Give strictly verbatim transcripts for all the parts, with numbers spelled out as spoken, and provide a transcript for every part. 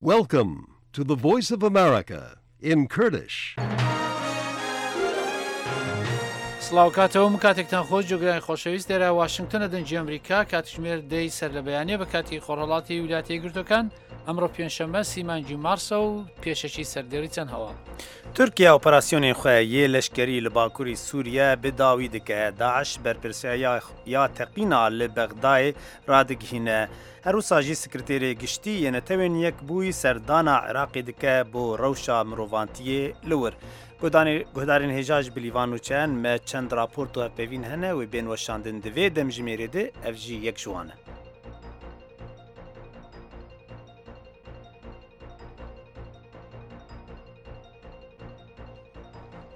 Welcome to the Voice of America in Kurdish. سڵاو کاتەوە، من کاتێکتان خۆش. جۆگرانی خۆشەویست، لێرە واشنگتنە، دەنگی ئەمریکا. کاتژمێر دەی سەر لە بەیانە بە کاتی خۆرهەڵاتی ویلایەتە یەکگرتوەکان. ئەمڕۆ پێنجشەممە، سی مانگی مارسە و پێشەکی سەر دەریچەند هەواڵ. تورکیا ئۆپەراسیۆنên xwe yê leşkerî li bakurî Sûriye bi dawî dike. DAIŞ berpirsiyariya ya teqîna li Bexdayê radigihîne. Her wisa jî Sekreterê Giştî yê Netewên Yekbûyî serdana Iraqê dike bo rewşa mirovantiyê li wir. Guhdanê-, guhdarên hêja ji bilîvan nûçeyan me çend raport û hevpeyvîn hene wê bên weşandin. Di vê demjimêrê de ev jî yek ji wan e.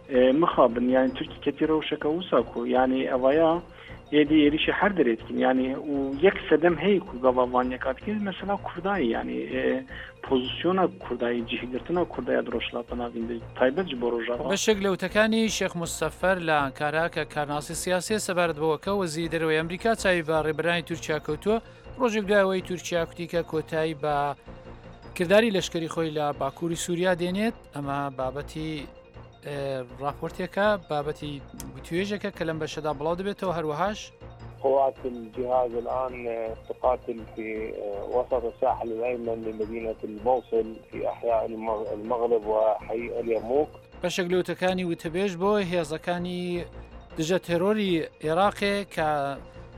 E, mixabin, yani Tirkî ketî rewşeke wisa ku, yani evaya êdî êrîşî her derê dikin, yani û yek sedem heye ku gava van yeka dikin, mesela Kurdayê, yani, e, pozisyona Kurdayê, cihgirtina Kurdaya di Rojhilata Navîn de, taybet ji bo Rojava. بەشێک لە وتەکانی شێخ مستەفەر لە ئەنکارا کە کارناسی سیاسیە سەبارەت بەوە کە وەزیری دەرەوەی ئەمریکا چاوی بە ڕێبەرانی تورکیا کەوتووە، ڕۆژێک دوای ئەوەی تورکیا کوتی کە کۆتایی بە کرداری لەشکری خۆی لە باکووری سووریا دێنێت. ئەمە بابەتی، ئێ، راپۆرتێکە، بابەتی توێژێکە کە لەم بەشەدا بڵاو دەبێتەوە. هەروەهاش قوات الجهاز الآن تقاتل في وسط الساحل الأيمن لمدينة الموصل في أحياء المغ-، المغرب وحي اليرموك. بەشێک لە وتەکانی وتەبێژ بۆ هێزەکانی دژە تێرۆری عێراقێ کە،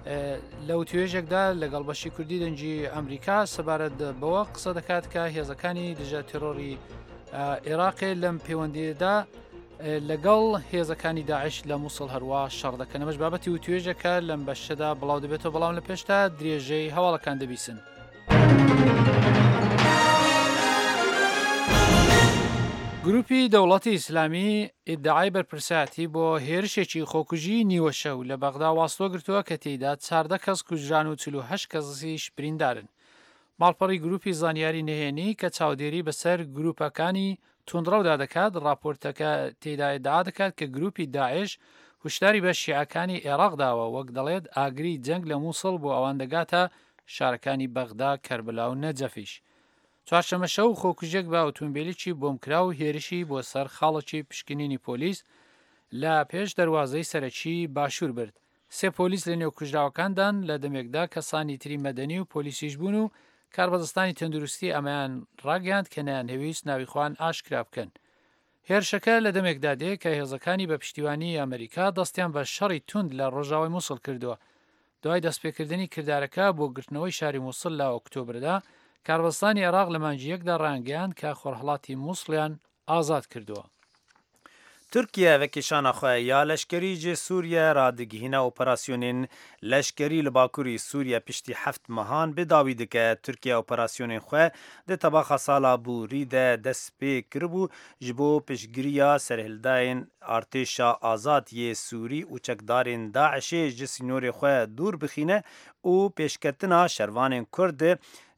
ئێ، لە وتوێژێکدا لەگەڵ بەشی کوردی دەنگی ئەمریکا سەبارەت بەوە قسە دەکات کە هێزەکانی دژە تێرۆری، ئێ، عێراقێ لەم پەیوەندیەدا، ئێ، لەگەڵ هێزەکانی داعش لە موسڵ هەروە شەڕ دەکەن. ئەمەش بابەتی وتوێژەکە لەم بەشەدا بڵاو دەبێتەوە، بەڵام لە پێشدا درێژەی هەواڵەکان دەبیسن. گروپی دەوڵەتی ئیسلامی ئیدعای بەرپرسیارەتی بۆ هێرشێکی خۆکوژی نیوەشەو لە بەغدا واستۆ گرتووە کە تێیدا چاردە کەس کوژران و چل و هەشت کەسیش بریندارن. ماڵپەڕی گروپی زانیاری نهێنی کە چاودێری بەسەر گروپەکانی توندڕەودا دەکات، راپۆرتەکە تێیدا ئیدعا دەکات کە گروپی داعش هوشداری بە شیعەکانی عێراق داوە، وەک دەڵێت ئاگری جەنگ لە موسڵ بۆ ئەوان دەگاتە شارەکانی بەغدا، کەربلا و نەجەفیش. چوارشەممە شەو خۆکوژێک بە ئۆتۆمبیلێکی بۆمکراو هێرشی بۆ سەر خاڵێکی پشکنینی پۆلیس لە پێش دەروازەی سەرەکی باشوور برد. سێ پۆلیس لە نێو کوژراوەکاندان، لە دەمێکدا کەسانی تری مەدەنی و پۆلیسیش بوون و کاربەدەستانی تەندروستی ئەمەیان ڕاگەیاند کە نەیانهەویست ناوی خۆیان ئاشکرا بکەن. هێرشەکە لە دەمێکدا دێ کە هێزەکانی بە پشتیوانی ئەمریکا دەستیان بە شەڕی توند لە ڕۆژاوای موسڵ کردووە. دوای دەستپێکردنی کردارەکە بۆ گرتنەوەی شاری موسڵ لە ئۆکتۆبردا، کاربەستانی عێراق لە مانگی یەکدا ڕایانگەیاند کە خۆرهەڵاتی موسڵیان ئازاد کردووە. تورکیە vekêşana xwe ya leşkerî ji Sûriye radigihîne. Operasyonên leşkerî li Bakurî Sûriye piştî heft mehan bi dawî dike. Tirkiye operasyonên xwe di tebaxa sala borî de dest pê kiribû, ji bo piştgiriya serhildayên artêşa azad yê Sûrî û çekdarên DAIŞê ji sînorê xwe dûr bixîne û pêşketina şervanên Kurd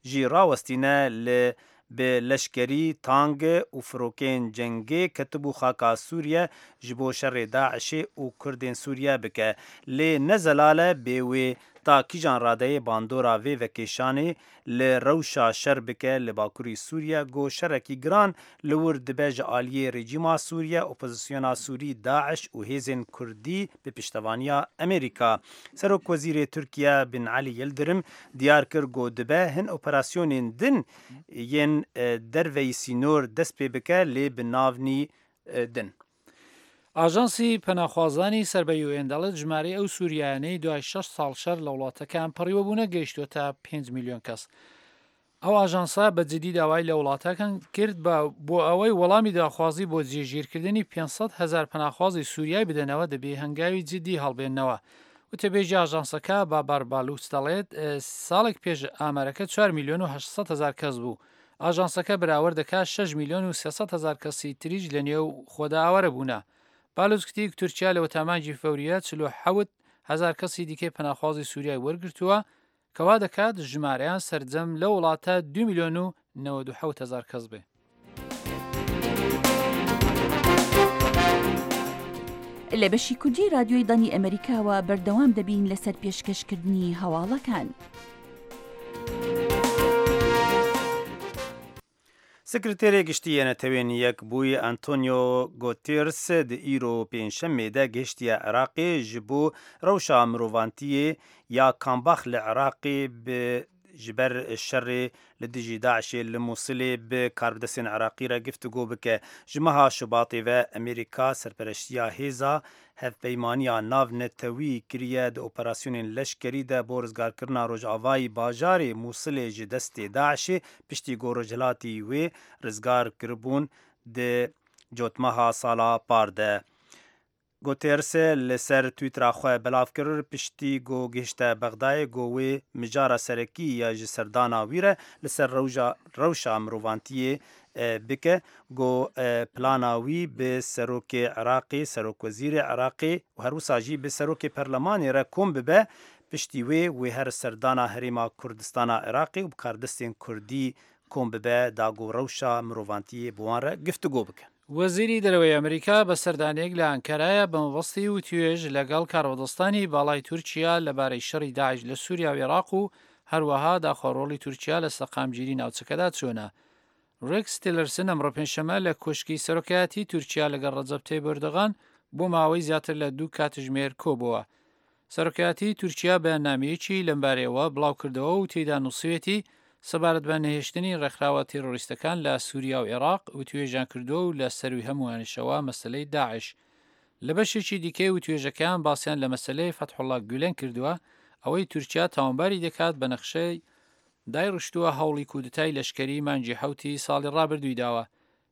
jî rawestîne li bi leşkerî, tang û firokên cengê ketibû xaka Sûriye ji bo şerê DAIŞê û Kurdên Sûriye bike. Lê ne zelal e bê wê ta kîjan radeyê bandora vê vekêşanê li rewşa şer bike li Bakurî Sûriye, ku şerekî giran li wir dibe ji aliyê rejîma Sûriye, opozisyona Sûrî, DAIŞ û hêzên Kurdî bi piştevaniya Amerîka. Serokwezîrê Tirkiye Bin Ali Yildirim diyar kir ku dibe hin operasyonên din yên, e, derveyî sînor dest pê bike, lê bi nav nî, e, din. ئاژانسی پەناخوازانی سەر بە UN دەڵێت ژمارەی ئەو سووریایانەی دوای شەش ساڵ شەر لە وڵاتەکەیان پەڕیوە بوونە گەیشتووەتە پێنج میلیۆن کەس. ئەو ئاژانسە بە جدی داوای لە وڵاتەکان کرد بە، بۆ ئەوەی وەڵامی داخوازی بۆ جێگیرکردنی پێنج سەد هەزار پەناخوازی سووریای بدەنەوە، دەبێ هەنگاوی جدی هەڵبێننەوە. وتەبێژی ئاژانسەکە بابار بالوچ دەڵێت، ئێ، ساڵێک پێش ئامارەکە چوار میلیۆن و هەشت سەد هەزار کەس بوو. ئاژانسەکە بەراورد دەکات شەش میلیۆن و سێ سەد هەزار کەسی تریش لە نێو خۆدا ئاوارە بوونە. بالوچ گوتی تورکیا لە وەتامانگی فەوریە چل و حەوت هەزار کەسی دیکەی پەناخوازی سووریای وەرگرتووە، کەوا دەکات ژمارەیان سەرجەم لەو وڵاتە دوو میلیۆن و نەوەد و حەوت هەزار کەس بێ. لە بەشی کوردی رادیۆی دەنگی ئەمریکاوە بەردەوام دەبین لەسەر پێشکەشکردنی هەواڵەکان. Sekreterê Giştî yê Netewên Yekbûyî Antonio Guterres di îro pêncşemê de gihiştiye Iraqê ji bo rewşa mirovantiyê ya kambax li Iraqê bi ji ber şerê li dijî DAIŞê li Mûsilê bi karbidestên Iraqî re giftûgo bike. Ji meha Şubatê ve Amerîka serpereştiya hêza hevpeymaniya navnetewî kiriye di operasyonên leşkerî de bo rizgarkirina rojavayî bajarê Mûsilê ji destê DAIŞê, piştî ku rojhilatî wê rizgar kiribûn di cotmeha sala par de. Guterres li ser Twittera xwe belav kir, piştî ku gihişte Bexdayê, ku wê mijara serekî ya ji serdana wî re li ser rewja, rewşa mirovantiyê, e, bike, ku, e, plana wî bi serokê Iraqê, serokwezîrê Iraqê û her wisa jî bi serokê perlemanê re kom bibe, piştî wê wê her serdana Herêma Kurdistana Iraqê û bi kardestên Kurdî kom bibe, da ku rewşa mirovantiyê bi wan re giftûgo bike. وەزیری دەرەوەی ئەمریکا بە سەردانێک لە ئەنکەرایە بە مەبەستی وتوێژ لەگەڵ کاربەدەستانی باڵای تورکیا لەبارەی شەڕی داعش لە سووریا و عێراق و هەروەها داخۆ ڕۆڵی تورکیا لە سەقامگیری ناوچەکەدا چۆنە. ڕێکس تیلەرسن ئەمڕۆ پێنجشەممە لە کۆشکی سەرۆکایەتی تورکیا لەگەڵ ڕەجەب تەیب ئەردۆغان بۆ ماوەی زیاتر لە دوو کاتژمێر کۆبووە. سەرۆکایەتی تورکیا بەیاننامەیەکی لەمبارەیەوە بڵاو کردەوە و تێیدا نووسیوێتی، سەبارەت بە نەهێشتنی ڕێکخراوە تێرۆریستەکان لە سووریا و عێراق وتوێژیان کردووە و لە سەروی هەمووانیشەوە مەسەلەی داعش. لە بەشێکی دیکەی وتوێژەکەیان باسیان لە مەسەلەی فەتحوڵا گولەن کردووە، ئەوەی تورکیا تاوانباری دەکات بە نەخشەی دایڕشتووە هەوڵی کودتای لەشکەری مانگی حەوتی ساڵی ڕابردووی داوە.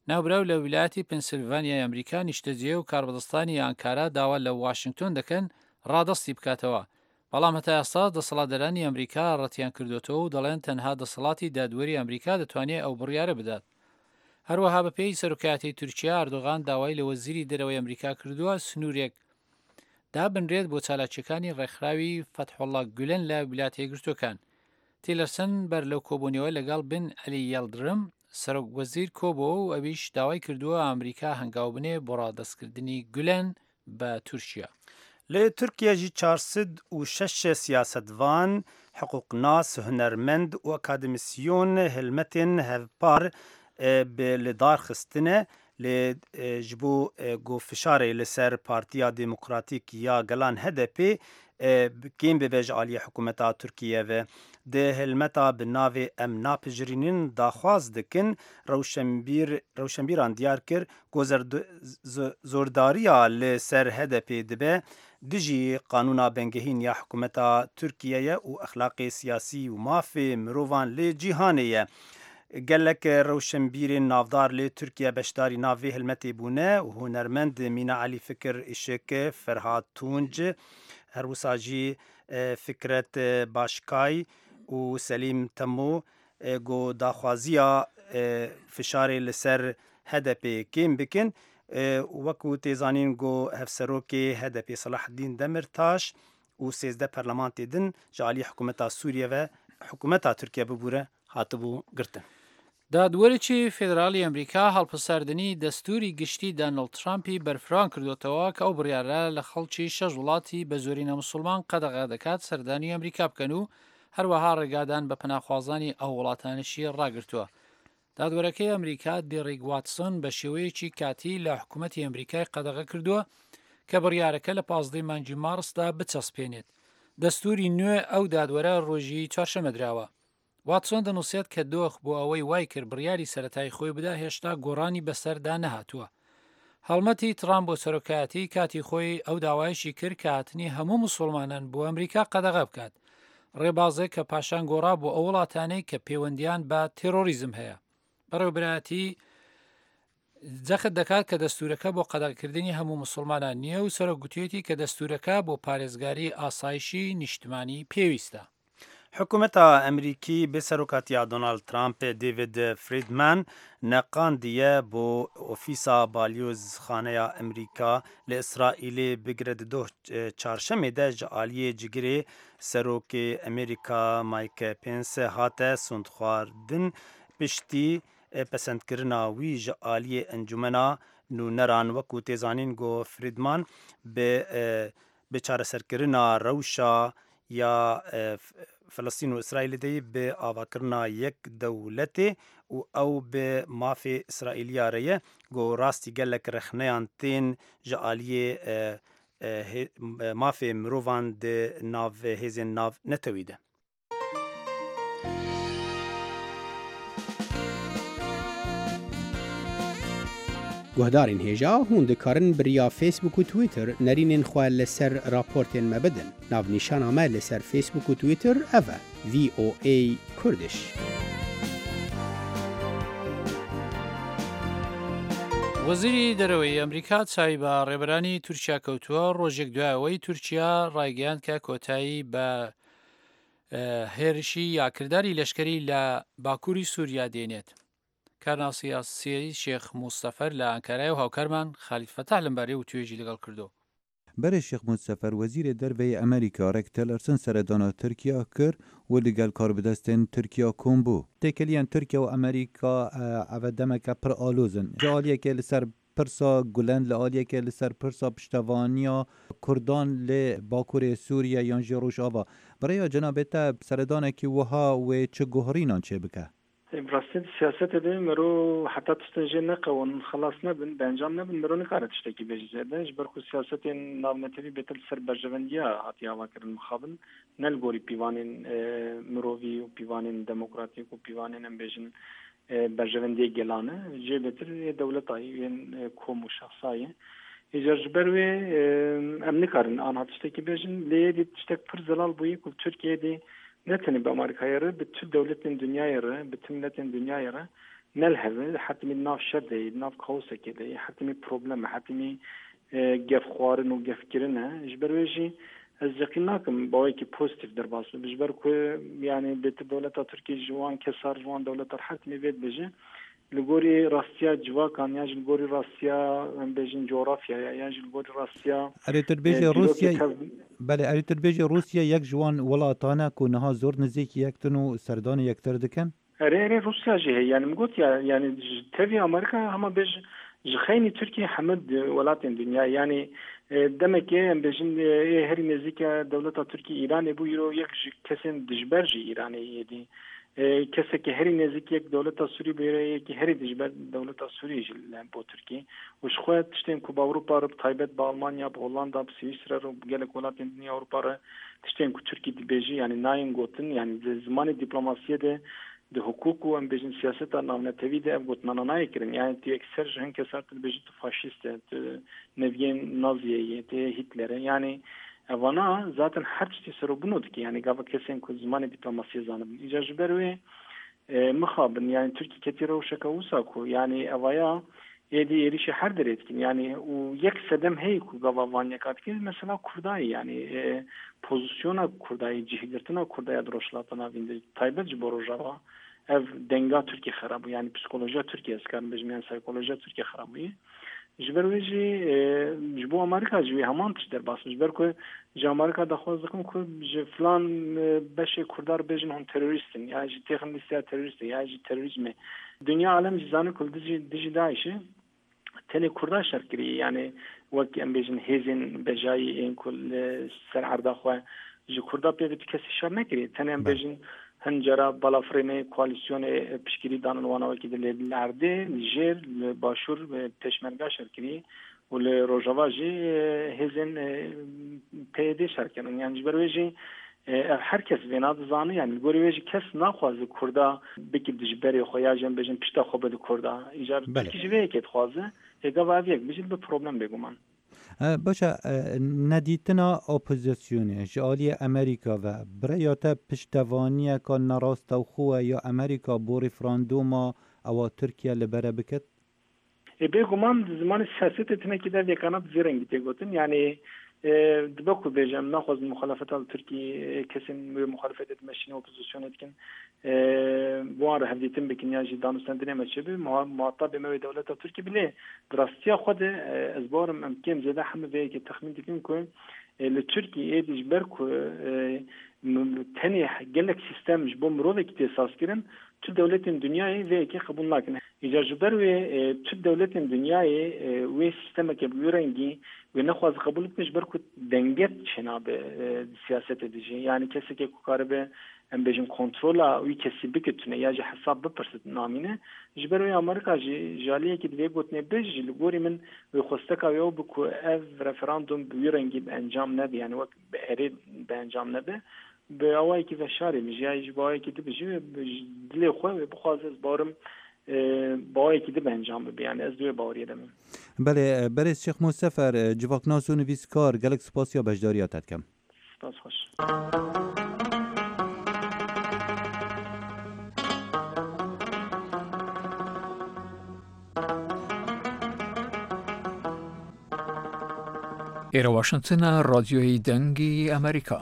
ناوبراو لە ویلایەتی پنسیلڤانیای ئەمریکا نیشتەجێ و کاربەدەستانی ئانکارا داوا لە واشنگتۆن دەکەن ڕادەستی بکاتەوە. بەڵام هەتا ئێستا دەسەڵاتدارانی ئەمریکا ڕەتیان کردوتەوە و دەڵێن تەنها دەسەڵاتی دادوەری ئەمریکا دەتوانێت ئەو بڕیارە بدات. هەروەها بە پێی سەرۆکایەتی تورکیا، ئەردۆغان داوای لە وەزیری دەرەوەی ئەمریکا کردووە سنوورێک دابنرێت بۆ چالاکیەکانی ڕێکخراوی فەتحوڵا گولەن لە ویلایەتە یەکگرتووەکان. تیلەرسن بەر لەو کۆبوونەوە لەگەڵ بن عەلی یەڵدرم، سەرۆک وەزیر کۆبووە و ئەویش داوای کردووە ئەمریکا هەنگاو بنێ بۆ ڕادەستکردنی گولەن بە تورکیا. Li Tirkiye jî çar sed û şeş siyasetvan, hiqûqnas, hunermend û akademîsyon hilmetên hevpar, e, bi li dar xistine. Lê, e, ji bo, e, ku fişarê li ser Partiya Demokratîk ya Gelan, H D P, e, kêm bibe ji aliyê hikûmeta Tirkiye ve. Di hilmeta bi navê Em Napijirînin daxwaz dikin, rewşenbîr, rewşenbîran diyar kir ku zerd-, z-, zordariya li ser H D P dibe dijî qanûna bingehîn ya hikûmeta Tirkiye ye û exlaqê siyasî û mafê mirovan li cîhanê ye. Gelek rewşenbîrên navdar li Tirkiye beşdarî nav vê hilmetê bûne û hunermend Mîna Elî, Fikir Işık, Ferhat Tunc, her wisa jî, e, Fikret, e, Başkay û Selîm Temo, e, ku daxwaziya, e, fişarê li ser H D P kêm bikin, e, û wekû tê zanîn ku hevserokê H D P Selahaddîn Demirtaş û sêzdeh perlemantê din ji alî hikûmeta Sûriye ve hikûmeta Tirkiye bibûre hatibû girtin. دادوەرێکی فێدراڵی ئەمریکا هەڵپساردنی دەستوری گشتی دانەڵد ترامپی بەرفراوان کردوتەوە کە ئەو بڕیارە لە خەڵکی شەش وڵاتی بە زۆرینە مسلمان قەدەغە دەکات سەردانی ئەمریکا بکەن و هەروەها ڕێگادان بە پەناخوازانی ئەو وڵاتانشی ڕاگرتووە. دادوەرەکەی ئەمریکا، دێریک واتسۆن، بە شێوەیەکی کاتی لە حکوومەتی ئەمریکای قەدەغە کردووە کە بڕیارەکە لە پازدەی مانگی مارسدا بچەسپێنێت. دەستوری نوێ ئەو دادوەرە ڕۆژی چوارشەممە دراوە. واتسۆن دەنووسێت کە دۆخ بۆ ئەوەی وای کرد بڕیاری سەرەتای خۆی بدا، هێشتا گۆڕانی بەسەردا نەهاتووە. هەڵمەتی ترامپ بۆ سەرۆکایەتی کاتی خۆی ئەو داوایشی کرد کە هاتنی هەموو موسڵمانان بۆ ئەمریکا قەدەغە بکات. ڕێبازێک کە پاشان گۆڕا بۆ ئەو وڵاتانەی کە پەیوەندیان بە تێرۆریزم هەیە. بەڕێوەبەرایەتی جەخت دەکات کە دەستوورەکە بۆ قەدەغەکردنی هەموو موسڵمانان نییە و سەرۆک گوتوویەتی کە دەستوورەکە بۆ پارێزگاری ئاسایشی نیشتمانی پێویستە. حکوومەتا ئەمریکی بە سەرۆکاتییا دۆناڵد ترامپ، دێڤید فریدمان، نەقاندیە بۆ ئۆفیسا بالیۆزخانەیا ئەمریکا لە ئیسرائیلێ. بگرە di doh çarşemê de ji aliyê cigirê serokê Amerîka Mike Pence hate sondxwardin. Piştî, e, pesendkirina wî ji aliyê encûmena nûneran, wekû tê zanîn, got Friedman, bi, e, bi çareserkirina rewşa ya, e, f-, Filistîn û Îsraîlê de yî bi avakirina yek dewletê û ew bi mafê Îsraîliya re ye, ku rastî gelek rexneyan tên ji aliyê, e, e, hê-, e, mafê mirovan di nav hêzên nav netewî de. Guhdarên hêja, hûn dikarin bi riya Facebook û Twitter nerînên xwe li ser raportên me bidin. Navnîşana me li ser Facebook û Twitter ev e: V O A Kurdish. وەزیری دەرەوەی ئەمریکا چاوی بە ڕێبەرانی تورکیا کەوتووە، ڕۆژێک دوای ئەوەی تورکیا ڕایگەیاند کە کۆتایی بە، ئە، هێرشی یا کرداری لەشکری لە باکووری سووریا دێنێت. کارناسی سیاسی شێخ موستەفەر لە ئەنکارای و هاوکارمان خالید فەتاح لەمبارەی و توێژی لەگەڵ کردو. Berê Şêx Mûd Sefer, wezîrê derve yê Amerîka, Rex Tillerson seredana Tirkiya kir û li gel karbidestên Tirkiya kom bû. Têkiliyên Tirkiye û Amerîka, e, eve demeke pir aloz in. Ji aliyekê li ser pirsa Gulen, li aliyekê li ser pirsa piştevaniya Kurdan li Bakurê Sûriye yan jî Rojava. Bi rêya cenabê te seredanekî wiha wê çi guherînan çêbike? Bi rastî di siyasetê de mero heta tiştên jê neqewin, xilas nebin, bi encam nebin, mero nikare tiştekî bêje zêde. Ji ber ku siyasetên navnetewî bêtir li ser berjevendiya hatiye avakirin mixabin, ne li gorî pîvanên, e, mirovî û pîvanên demokratîk û pîvanên, em bêjin, e, berjevendiyê gelan e. Jê bêtir ê dewleta yê, yên, e, kom û şexsa yê. Îcar ji ber wê, e, em nikarin anha tiştekî bêjin. Lê êdî tiştek pir zelal bûye ku Tirkiye êdî ne tenê bi Amerîkayê re, bi tu dewletên dinyayê re, bi tu miletên dinyayê re ne li hev e, hetimî di nav şer de yê, di nav kaosekê de yê, hetimî problem e, hetimî, e, gefxwarin û gefkirin e. Ji ber wê jî ez yeqîn nakim bi awayekî pozîtîf derbas bibe. Ji ber ku, yanî, bêtir dewleta Tirkiyê ji wan kesar, ji wan dewletar hetimî vê dibêje. Li gorî rastiya civakan, yan jî li gorî rastiya, em bêjin, coğrafyaya, yan jî li gorî rastiya, Erê tu dibêjî e, dîrokê Rûsya, tev- belê, erê tu dibêjî Rûsya yek ji wan welatan e ku niha zor nizîk yek din û serdanê yektir dikin? Erê, erê, Rûsya jî heye. Yani min got ya, yani ji tevî Amerîka hema bêj ji xeynî Tirkiye hemû di-, welatên dinya. Yani, e, demekê em bêjin, e, ê herî nêzîk e dewleta Tirkiye Îranê bû, îro yek ji kesên dijber jî Îranê yê dî. E, kesekî herî nêzîk yek dewleta Sûrî bû, îro yekî herî dijber dewleta Sûrî jî li bo Tirkiye. Û ji xwe tiştên ku bi Ewropa re, bi taybet bi Almanya, bi Hollanda, bi Swîsre re û bi gelek welatên din ya Ewropa re tiştên ku Tirkî dibêjî, yani nayên gotin, yani di zimanê dîplomasiyê de, di hukuk û em bêjin siyaseta navnetewî de ev gotinana nayê kirin. Yani tu yekser ji hin kesar tu dibêjî tu faşîst e, tu neviyên Naziyê yê, tu yê Hitler e. Yani evana zaten her tiştî serobûno dike. Yani gava kesên ku zimanê dîplomasiyê zanibin. Îcar ji ber wê, e, mixabin, yani Tirkî ketî rewşeke wisa ku, yani evaya êdî êrîşê her derê dikin. Yani û yek sedem heye ku gava van yeka dikin, mesela Kurdayê, yani, e, pozisyona Kurdayê, cihgirtina Kurdaya di Rojhilata Navîn de, taybet ji bo Rojava, ev denga Tirkiyê xera bû. Yani psikolojiya Tirkiyê, ez karim bêjim, yani psikolojiya Tirkiyê xera bûye. Ji ber wê jî, e, ji bo Amerîka jî wê heman tişt derbas bû. Ji ber ku ji Amerîka daxwaz dikin ku ji filan, e, beşê Kurdar bêjin hûn terorîst in, ya jî têxin lîsteya terorîstê, ya jî terorîzmê. Dinya alem jî zane ku li dijî, dijî DAIŞê tenê Kurda şer kiriye, yani wek em bêjin hêzên bejayî ên ku li ser erda xwe ji Kurda pê ve tu kesî şer nekiriye. Tenê em Belê. bêjin hin cara balafirênê koalîsyonê piştgirî danin wana wekî di lê li erdê, li jêr, li başûr, e, pêşmerga şer kiriye. û li Rojava jî, e, hêzên, e, P Y D şer kirin. Yani ji ber wê jî, e, ev her kes vêna dizane. Yani li gorî wê jî kes naxwaze Kurda bike dijberê xwe ya jî em bêjin pişta xwe bide Kurda. Îcar Belê. Tirkî ji vê yekê dixwaze. Ê gava ev yek bijî dibe problem bêguman. E, baş e, e, nedîtina opozisyonê ji aliyê Amerîka ve bi rêya te piştevaniyeka nerastewxo e ya Amerîka bo referandûma ewa Tirkiye li bere biket? Ê, bêguman di zimanê siyasetê tinekî de vêkana bi vî rengî tê gotin. Yanî, e, dibe ku bêje, em naxwazin muxalefeta li Tirkî, e, kesên wê muxalefetê dimeşîne, opozisyonê dikin, e, bi wan re hevdîtin bikin yan jî danûstendinê me çêbe, muha-, muhatabê me wê dewleta Tirkî bîne. Di rastiya xwe de, e, ez bawerim em kêm zêde hemû vê yekê texmîn dikin ku, e, li Tirkî êdî ji ber ku, e, m-, tenê gelek sîstem ji bo mirovekî tê sazkirin, tu dewletên dinyayê vê yekê qebûl nakin. Îcar ji ber wê, e, tu dewletên dinyayê, e, wê sîstemeke bi wî rengî wê nexwaze qebûl bike, ji ber ku denge çênabe, e, di siyasetê de jî. Yanî kesekê ku karibe, em bêjin kontrola wî kesî bike tune ya jî hesab bipirsit namîne. Ji ber wê Amerîka jî ji aliyekî di vê gotinê bêje jî li gorî min wê xwesteka wê ew bi ku ev referandum bi wî rengî bi encam nebe, yani wek bi erê bi encam nebe. Bi awayekî veşarê bijî, ya jî bi awayekî dibijî wê bi ji dilê xwe wê bixwaze, ez bawerim, e, bi awayekî din bi encam bibe. Yani ez di wê baweriyê de me. Belê, e, berêz Şêx Mosefer, e, civaknas û nivîskar, gelek spas ya beşdariya te dikim. Spas xweş. ئێرە واشنگتنە، ڕادیۆی دەنگی ئەمریکا.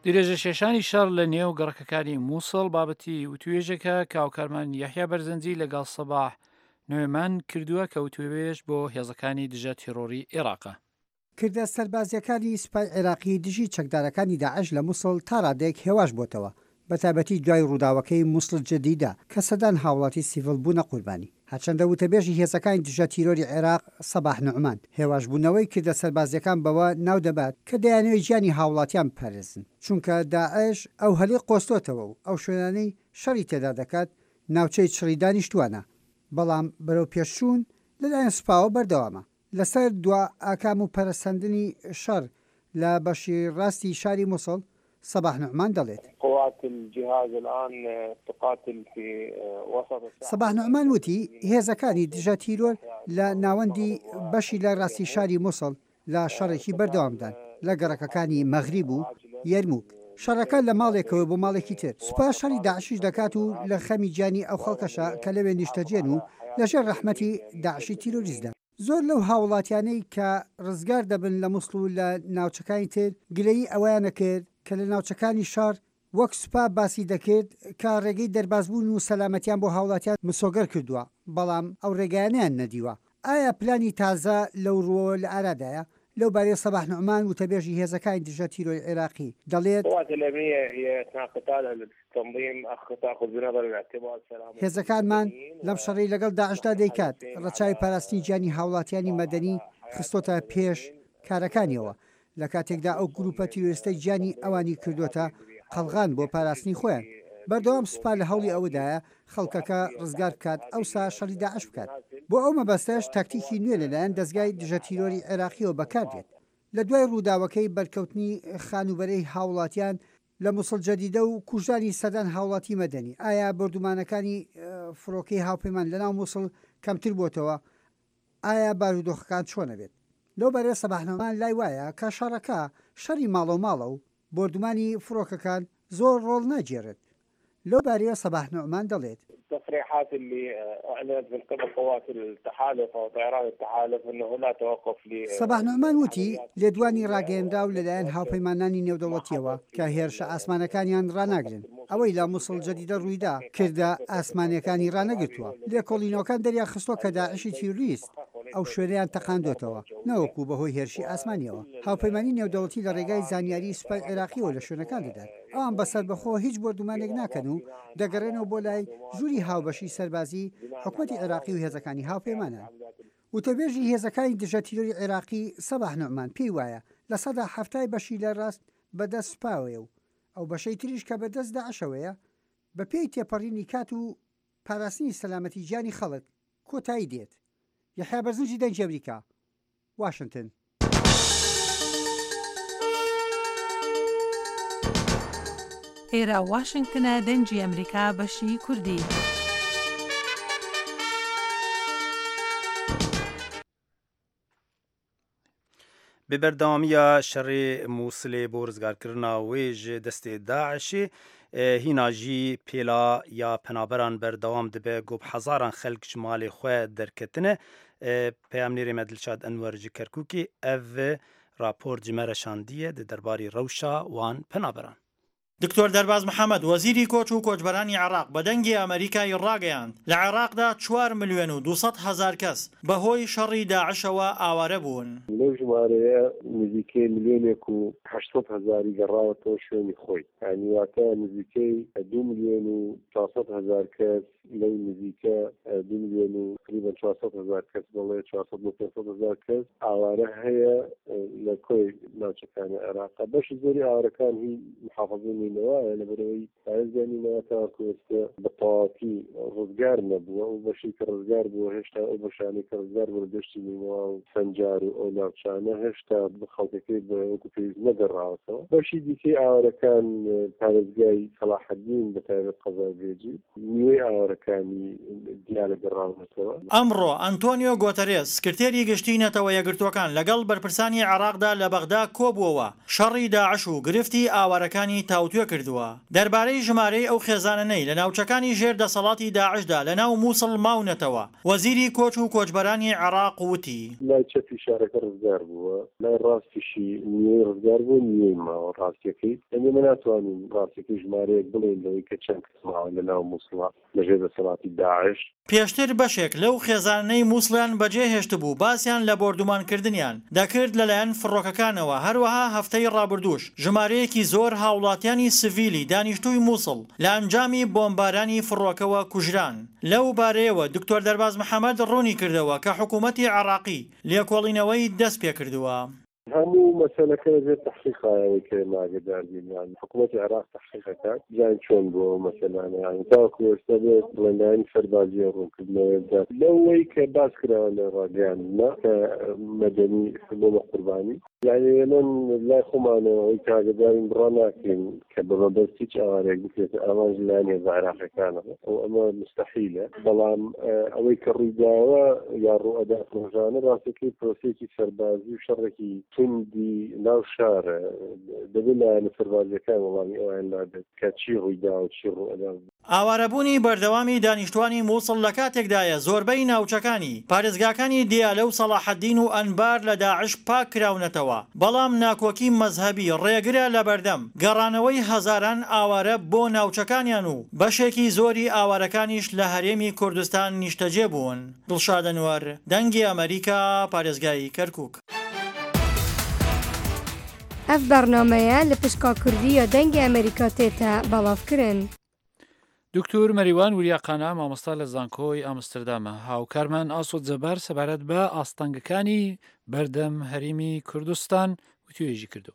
درێژە کێشانی شەڕ لە نێو گەڕەکەکانی مووسڵ بابەتی وتوێژێکە کە هاوکارمان یەحیا بەرزەنجی لەگەڵ سەباح نوێمان کردووە کە وتوێژ بۆ هێزەکانی دژە تیرۆری عێراقە. کردە سەربازیەکانی سوپای عێراقی دژی چەکدارەکانی داعش لە مووسڵ تا ڕادەیەک هێواش بۆتەوە، بە تایبەتی دوای ڕووداوەکەی مووسڵ جەدیدە کە سەدان هاوڵاتی سیڤڵ بوونە قوربانی. هەرچەندە وتەبێژی هێزەکانی دژە تیرۆری عێراق سەباح نوعمان هێواشبوونەوەی کردە سەربازیەکان بەوە ناو دەبات کە دەیانەوێت گیانی هاوڵاتیان بپارێزن، چونکە داعش ئەو هەلەی قۆستۆتەوە و ئەو شوێنانەی شەڕی تێدا دەکات ناوچەی چڕی دانیشتوانە، بەڵام بەرەو پێشچوون لەلایەن سوپاوە بەردەوامە. لەسەر دوا ئاکام و پەرەسەندنی شەڕ لە بەشی ڕاستی شاری مووسڵ، سەباح نوعمان دەڵێت. قوات الجهاز الآن تقاتل في وسط الساحة. سەباح نوعمان وتی، هێزەکانی دژە تیرۆر لە ناوەندی بەشی لە ڕاستی شاری مووسڵ لە شەڕێکی بەردەوامدان لە گەڕەکەکانی مەغریب و یەرموک. شەڕەکە لە ماڵێکەوە بۆ ماڵێکی تر. سوپا شەڕی داعشیش دەکات و لە خەمی گیانی ئەو خەڵکەشە کە لەوێ نیشتەجێن و لەژێر ڕەحمەتی داعشی تیرۆریستدا. زۆر لەو هاوڵاتیانەی کە ڕزگار دەبن لە مووسڵ و لە ناوچەکانی تر گلەیی ئەوەیانە کرد کە لە ناوچەکانی شەڕ وەک سوپا باسی دەکرد کە ڕێگەی دەربازبوون و سەلامەتیان بۆ هاوڵاتیان مسۆگەر کردووە، بەڵام ئەو ڕێگایانەیان نەدیوە. ئایا پلانی تازە لەو ڕووەوە لە ئارادایە؟ لەو بارەیە سەباح نوعمان وتەبێژی هێزەکانی دژە تیرۆری عێراقی دەڵێت. القوات الأمنية هي أثناء قتالها للتنظيم أخ تأخذ بنظر الاعتبار سلامة هێزەکانمان لەم شەڕەی لەگەڵ داعشدا دەیکات، ڕەچاوی پاراستنی گیانی هاوڵاتیانی مەدەنی خستۆتە پێش کارەکانیەوە، لە کاتێکدا ئەو گروپە تیرۆریستە گیانی ئەوانی کردوتە قەڵغان بۆ پاراستنی خۆیان. بەردەوام سوپا لە هەوڵی ئەوەدایە خەڵکەکە ڕزگار بکات، ئەوسا شەڕی داعش بکات. بۆ ئەو مەبەستەش تاکتیکی نوێ لەلایەن دەستگای دژە تیرۆری عێراقیەوە بەکاردێت. لە دوای ڕووداوەکەی بەرکەوتنی خانوبەرەی هاوڵاتیان لە مووسڵ جەدیدە و کوژرانی سەدان هاوڵاتی مەدەنی، ئایا بۆردومانەکانی، ئە، فڕۆکەی هاوپەیمان لەناو مووسڵ کەمتر بۆتەوە؟ ئایا بارودۆخەکان چۆنە بێت؟ لەو بارەیە سەباح نوعمان لای وایە کە شەڕەکە شەڕی ماڵەوماڵە و بۆردومانی فڕۆکەکان زۆر ڕۆڵ ناگێڕێت. لەو بارەیە سەباح نوعمان دەڵێت. التصريحات اللي أعلنت من قبل قوات التحالف أو طيران التحالف أنه لا توقف ل سەباح نوعمان وتی، لێدوانی ڕاگەیەنراو لەلایەن هاوپەیمانانی نێودەوڵەتیەوە کە هێرشە ئاسمانەکانیان ڕاناگرن. ئەوەی لە مووسڵ جەدیدە ڕوویدا کردە ئاسمانیەکانی ڕانەگرتووە. لێکۆڵینەوەکان دەریان خستووە کە داعشی تیرۆریست ئەو شوێنەیان تەقاندوتەوە، نەوەکو بەهۆی هێرشی ئاسمانیەوە. هاوپەیمانی نێودەوڵەتی لە ڕێگای زانیاری سوپای عێراقیەوە لە شوێنەکان دەدات. ئەوان بە سەربەخۆ هیچ بۆردومانێک ناکەن و دەگەڕێنەوە بۆ لای ژووری هاوبەشی سەربازی حکومەتی عێراقی و هێزەکانی هاوپەیمانان. وتەبێژی هێزەکانی دژە تیرۆری عێراقی سەباح نوعمان پێی وایە لە سەدا حەفتای بەشی لە ڕاست بەدەست سوپاوەیە و ئەو بەشەی تریش کە بەدەست داعشەوەیە، بە پێی تێپەڕینی کات و پاراستنی سەلامەتی گیانی خەڵک کۆتایی دێت. یەحیا بەرزنجی، دەنگی ئەمریکا، واشنگتن. ئێرە واشنگتنە، دەنگی ئەمریکا، بەشی کوردی. Bi berdewamiya şerê Mûsilê bo rizgarkirina wê ji destê DAIŞê, e, hîna jî pêla ya penaberan berdewam dibe, ku bi hezaran xelk ji malê xwe derketine. E, peyamnêrê me Dilşad Enwer ji Kerkûkê ev raport ji me re şandiye di derbarê rewşa wan penaberan. دکتۆر دەرباز محەممەد، وەزیری کۆچ و کۆچبەرانی عێراق، بە دەنگی ئەمریکای ڕاگەیاند، لە عێراقدا چوار ملیۆن و دوو سەد هەزار کەس بەهۆی شەڕی داعشەوە ئاوارە بوون. لەو ژمارەیە نزیکەی ملیۆنێک و هەشت سەد هەزاری گەڕاوەتەوە شوێنی خۆی. یعنی، واتە نزیکەی دوو ملیۆن و چوار سەد هەزار کەس، لەو نزیکە، دوو ملیۆن و تقریباً چوار سەد هەزار کەس، بەڵێ، چوار سەد بۆ پێنج سەد هەزار کەس ئاوارە هەیە. لە کۆی ناوچەکانی عێراقە. بەشی زۆری ئاوارەکان هی محافظەی نینەوەیە، لەبەرەوەی پارێزگای نینەوە تاوەکو ئێستا بە تەواوەتی ڕزگار نەبووە و بەشی کە ڕزگار بووە، هێشتا ئەو بەشانەی کە ڕزگار بوون لە دەشتی نینەوە و سەنجار و ئەو ناوچانە، هێشتا بە خەڵکەکەی بە وەکو پێویست نەگەڕاوەتەوە. بەشی دیکەی ئاوارەکان، پارێزگای سەلاحەدین، بە تایبەت قەزای بێجی، نیوەی ئاوارەکانی دیالە گەڕاونەتەوە. ئەمڕۆ ئەنتۆنیۆ گۆتەرێس، سکرتێری گشتی نەتەوە یەکگرتووەکان، لەگەڵ بەرپرسانی عێراقدا لە بەغدا کۆبووەوە، شەڕی داعش و گرفتی ئاوارەکانی تاوتوێ کردووە. دەربارەی ژمارەی ئەو خێزانەنەی لە ناوچەکانی ژێر دەسەڵاتی داعشدا لە ناو مووسڵ ماونەتەوە، وەزیری کۆچ و کۆچبەرانی عێراق وتی: لای چەپی شارەکە ڕزگار بووە، لای ڕاستیشی نیوەی ڕزگار بووە، نیوەی ماوە ڕاستیەکەی. ئەمە ناتوانین ڕاستیەکەی ژمارەیەک بڵێن لەوەی کە چەند کەس ماوە لە ناو مووسڵە لەژێر دەسەڵاتی داعش. پێشتر بەشێک لەو خێزانەی مووسڵیان بەجێ هێشتبوو باسیان لە بۆردومانکردنیان دەکرد لەلایەن فڕۆکەکانەوە، هەروەها هەفتەی ڕابردووش ژمارەیەکی زۆر هاوڵاتیانی سڤیلی دانیشتووی مووسڵ لە ئەنجامی بۆمبارانی فڕۆکەوە کوژران. لەو بارەیەوە دکتۆر دەرباز محەممەد ڕوونی کردەوە کە حکوومەتی عێراقی لێکۆڵینەوەی دەست پێ کردووە. هەموو مەسەلەکە لەژێر تەحقیقایەوەی کە ئێمە ئاگادار بووین، یان حکوومەتی عێراق تەحقیق ئەکات، بزانین چۆن بووە ئەو مەسەلانە، یان تاوەکو ئێستا بێت بڵێندایانی سەربازی و ڕوونکردنەوەی بدات. لەوەی کە باس کراوە لە ڕاگەیاندنە کە مەدەنی بۆمە قوربانی، یعنی ئێمە لای خۆمانەوە ئەوەی کە ئاگادارین بڕا ناکەین کە بە مەبەست هیچ ئاوارەیەک بکرێتە ئامانج لایەن هێزە عێراقیەکانەوە، و ئەمە مستەحیلە. بەڵام، ئە، ئەوەی کە ڕوویداوە یا ڕوو ئەدات ڕۆژانە، ڕاستەکەی پرۆسەیەکی سەربازی و شەڕێکی توندی ناو شارە. دەبێت لایەنە سەربازیەکان وەڵامی ئەویان لابێت کە چی ڕوویداوە، چی ڕوو ئەدا. ئاوارەبوونی بەردەوامی دانیشتوانی مووسڵ لە کاتێکدایە زۆربەی ناوچەکانی پارێزگاکانی دیالە و سەڵاحەدین و ئەنبار لە داعش پاک کراونەتەوە، بەڵام ناکۆکی مەزهەبی ڕێگرە لە بەردەم گەڕانەوەی هەزاران ئاوارە بۆ ناوچەکانیان و بەشێکی زۆری ئاوارەکانیش لە هەرێمی کوردستان نیشتەجێ بوون. دڵشاد ئەنوەر، دەنگی ئەمریکا، پارێزگای کەرکووک. Ev bernameye li pişka kurdî ya Dengê Amerîka tête belavkirin. دکتور مەریوان وریاقانە، مامۆستا لە زانکۆی ئامستردامە. هاوکارمان ئاسۆد جەبار سەبارەت بە ئاستەنگەکانی بەردەم هەرێمی کوردستان وتوێژی کردو.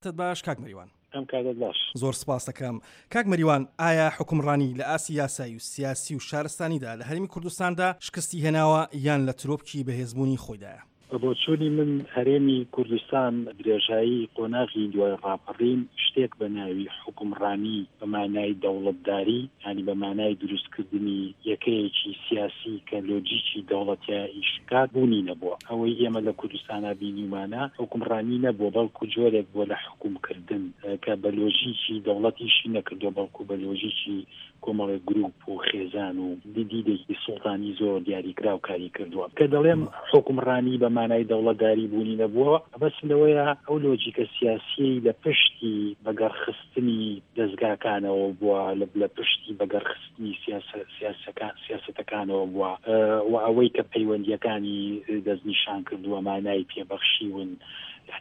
تت باش کاک مەریوان. ئەم کاتت باش. زۆر سپاس دەکەم. کاک مەریوان، ئایا حکومڕانی لە ئاستی یاسایی و سیاسی و شارستانیدا لە هەرێمی کوردستاندا شکستی هێناوە یان لە ترۆپکی بەهێزبوونی خۆیدایە؟ بە بۆچوونی من، هەرێمی کوردستان درێژایی قۆناغی دوای ڕاپەڕین شتێک بە ناوی حکومڕانی بە مانای دەوڵەتداری، یعنی بە مانای دروستکردنی یەکەیەکی سیاسی کە لۆجیکی دەوڵەتە ئیشکات بوونی نەبووە. ئەوەی ئێمە لە کوردستانا بینیمانە حکومڕانی نەبووە، بەڵکو جۆرێک بووە لە حکومکردن، کە بە لۆژیکی دەوڵەتیشی نەکردووە، بەڵکو بە لۆژیکی کۆمەڵێک گروپ و خێزان و دیدێکی سوڵتانی زۆر دیاریکراو کاری کردووە. کە دەڵێم حکومڕانی بە مانای دەوڵەتداری بوونی نەبووە، بەس لەوەیە ئەو لۆجیکە سیاسیەی لە پشتی بەگەڕخستنی دەستگاکانەوە بووە، لە، لە پشتی بەگەڕخستنی سیاسە-، سیاسەکان، سیاسەتەکانەوە بووە، ئە، و ئەوەی کە پەیوەندیەکانی دەستنیشان کردووە مانای پێبەخشیون.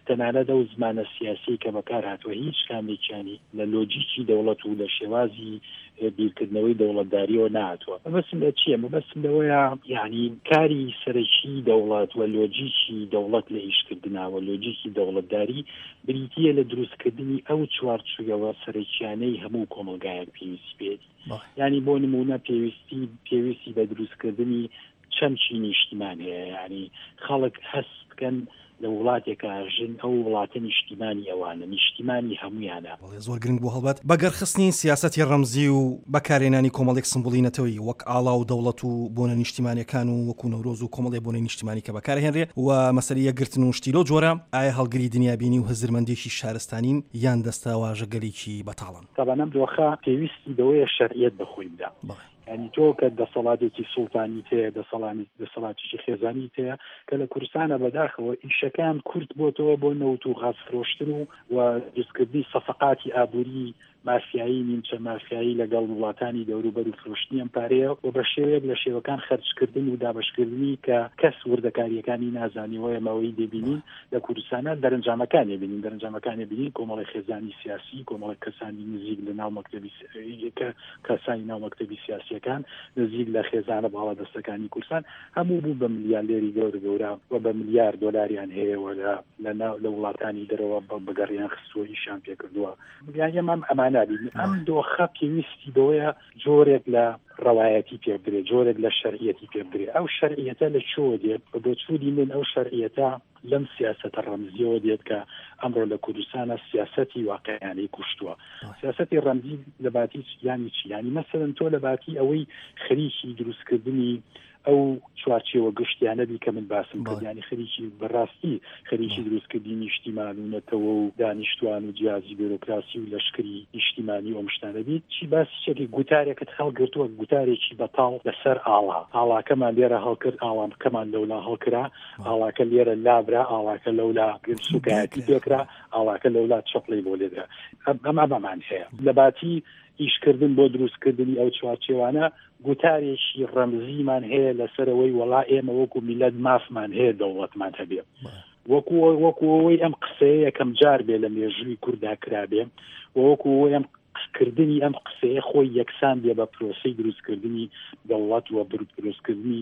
تەنانەت ئەو زمانە سیاسی کە بەکار هاتووە، هیچ کامێکیانی لە لۆجیکی دەوڵەت و لە شێوازی، ئە، بیرکردنەوەی دەوڵەتداریەوە نهاتووە. مەبەستم لە چییە؟ مەبەستم لەوەیە، یعنی، کاری سەرەکی دەوڵەت و لۆجیکی دەوڵەت لە ئیشکردناوە، لۆجیکی دەوڵەتداری بریتییە لە دروستکردنی ئەو چوارچوویەوە سەرەکیانەی هەموو کۆمەلگایەک پێویستی پێێتی. بەڵێ. یعنی، بۆ نمونە، پێویستی، پێویستی بە دروستکردنی چەمکی نیشتیمان هەیە. یعنی، خەڵک هەست بکەن لە وڵاتێکا ئەژین، ئەو وڵاتە نیشتیمانی ئەوانە، نیشتیمانی هەمویانە. بەڵێ، زۆر گرنگ بوو هەڵبەت. بەگەرخستنی سیاسەتی ڕەمزی و بەکارهێنانی کۆمەڵێک سمبولی نەتەوەی وەک ئاڵا و دەوڵەت و بۆنە نیشتیمانیەکان و وەکو نەورۆز و کۆمەڵێک بۆنەی نیشتیمانی کە بەکارهێنرێ و مەسەلەی یەکگرتن و شتی لەو جۆرە، ئایا هەڵگری دنیابینی و هزرمەندێکی شارستانین یان دەستەواژە گەلێکی بەتاڵن؟ تابان ئەم دۆخە پێویستی بەوەیە شەرعیەت بەخۆی بدا. بەڵێ. یعنی، تۆ کە دەسەڵاتێکی سوڵتانی تەیە، دەسەڵانی-، دەسەڵاتێکی خێزانی تەیە، کە لە کوردستانە بەداخەوە ئیشەکان کورت بۆتەوە بۆ نەوت و غاز فرۆشتن و، و دروستکردنی سەفقاتی ئابووری مافیایی، نیمچە مافیایی لەگەڵ وڵاتانی دەوروبەر و فرۆشتنی ئەم پارەیە و بە شێوەیەک لە شێوەکان خەرجکردن و دابەشکردنی کە کەس وردەکاریەکانی نازانی و ئێمە ئەوەی دەبینین لە کوردستانە دەرەنجامەکانی بینین، دەرەنجامەکانی بینین، کۆمەڵی خێزانی سیاسی، کۆمەڵی کەسانی نزیک لە ناو مەکتەبی س-، کە کەسانی ناو مەکتەبی سیاسیەکان نزیک لە خێزانە باڵادەستەکانی کوردستان هەموو بوو بە ملیارێری گەورە گەورە و بە ملیار دۆلاریان هەیە و لە، لە ناو، لە وڵاتانی دەرەوە بە-، بەگەڕیان خستووە، ئیشان پێکردووە. یعنی ئەمە ئەمانە بین. ئەم دۆخە پێویستی بەوەیە جۆرێک لە ڕەوایەتی پێ بدرێت، جۆرێک لە شەرعیەتی پێ بدرێت. ئەو شەرعیەتە لە چۆ دێت؟ بە بۆچوونی من ئەو شەرعیەتە لەم سیاسەتە ڕەمزیەوە دێت کە ئەمڕۆ لە کوردستانە سیاسەتی واقعیانەی کوشتووە. سیاسەتی ڕەمزی لە باتی چ-، یعنی چی؟ یعنی مەسەلەن تۆ لە باتی ئەوەی خەریکی دروستکردنی ئەو چوارچێوە گشتیانە بی کە من باسم کرد. یعنی خەریکی بەڕاستی خەریکی دروستکردنی نیشتیمان و نەتەوە و دانیشتوان و جیازی بیرۆکراسی و لەشکری نیشتیمانی و ئەم شتانە بی. چی باسی چەکی گوتارێکت هەڵگرتووە، گوتارێکی بەتاڵ لەسەر ئاڵا. ئاڵاکەمان لێرە هەڵکرد، ئاڵاکەمان لەولا هەڵکرا، ئاڵاکە لێرە لابرا، ئاڵاکە لەولا سوکایەتی پێکرا، ئاڵاکە لەولا چەپڵی بۆ لێدرا. ئەم، ئەم، ئەمەمان هەیە. لە باتی ئیشکردن بۆ دروستکردنی ئەو چوارچێوانە گوتارێکی ڕەمزیمان هەیە لەسەر ئەوەی وەڵا ئێمە وەکو میلەت مافمان هەیە دەوڵەتمان هەبێ. وەکو، وەکو ئەوەی ئەم قسەیە یەکەم جار بێ لە مێژووی کووردا کرابێ، و وەکو ئەوەی ئەم قسکردنی ئەم قسەیە خۆی یەکسان بێ بە پرۆسەی دروستکردنی دەوڵەت و بر-، دروستکردنی،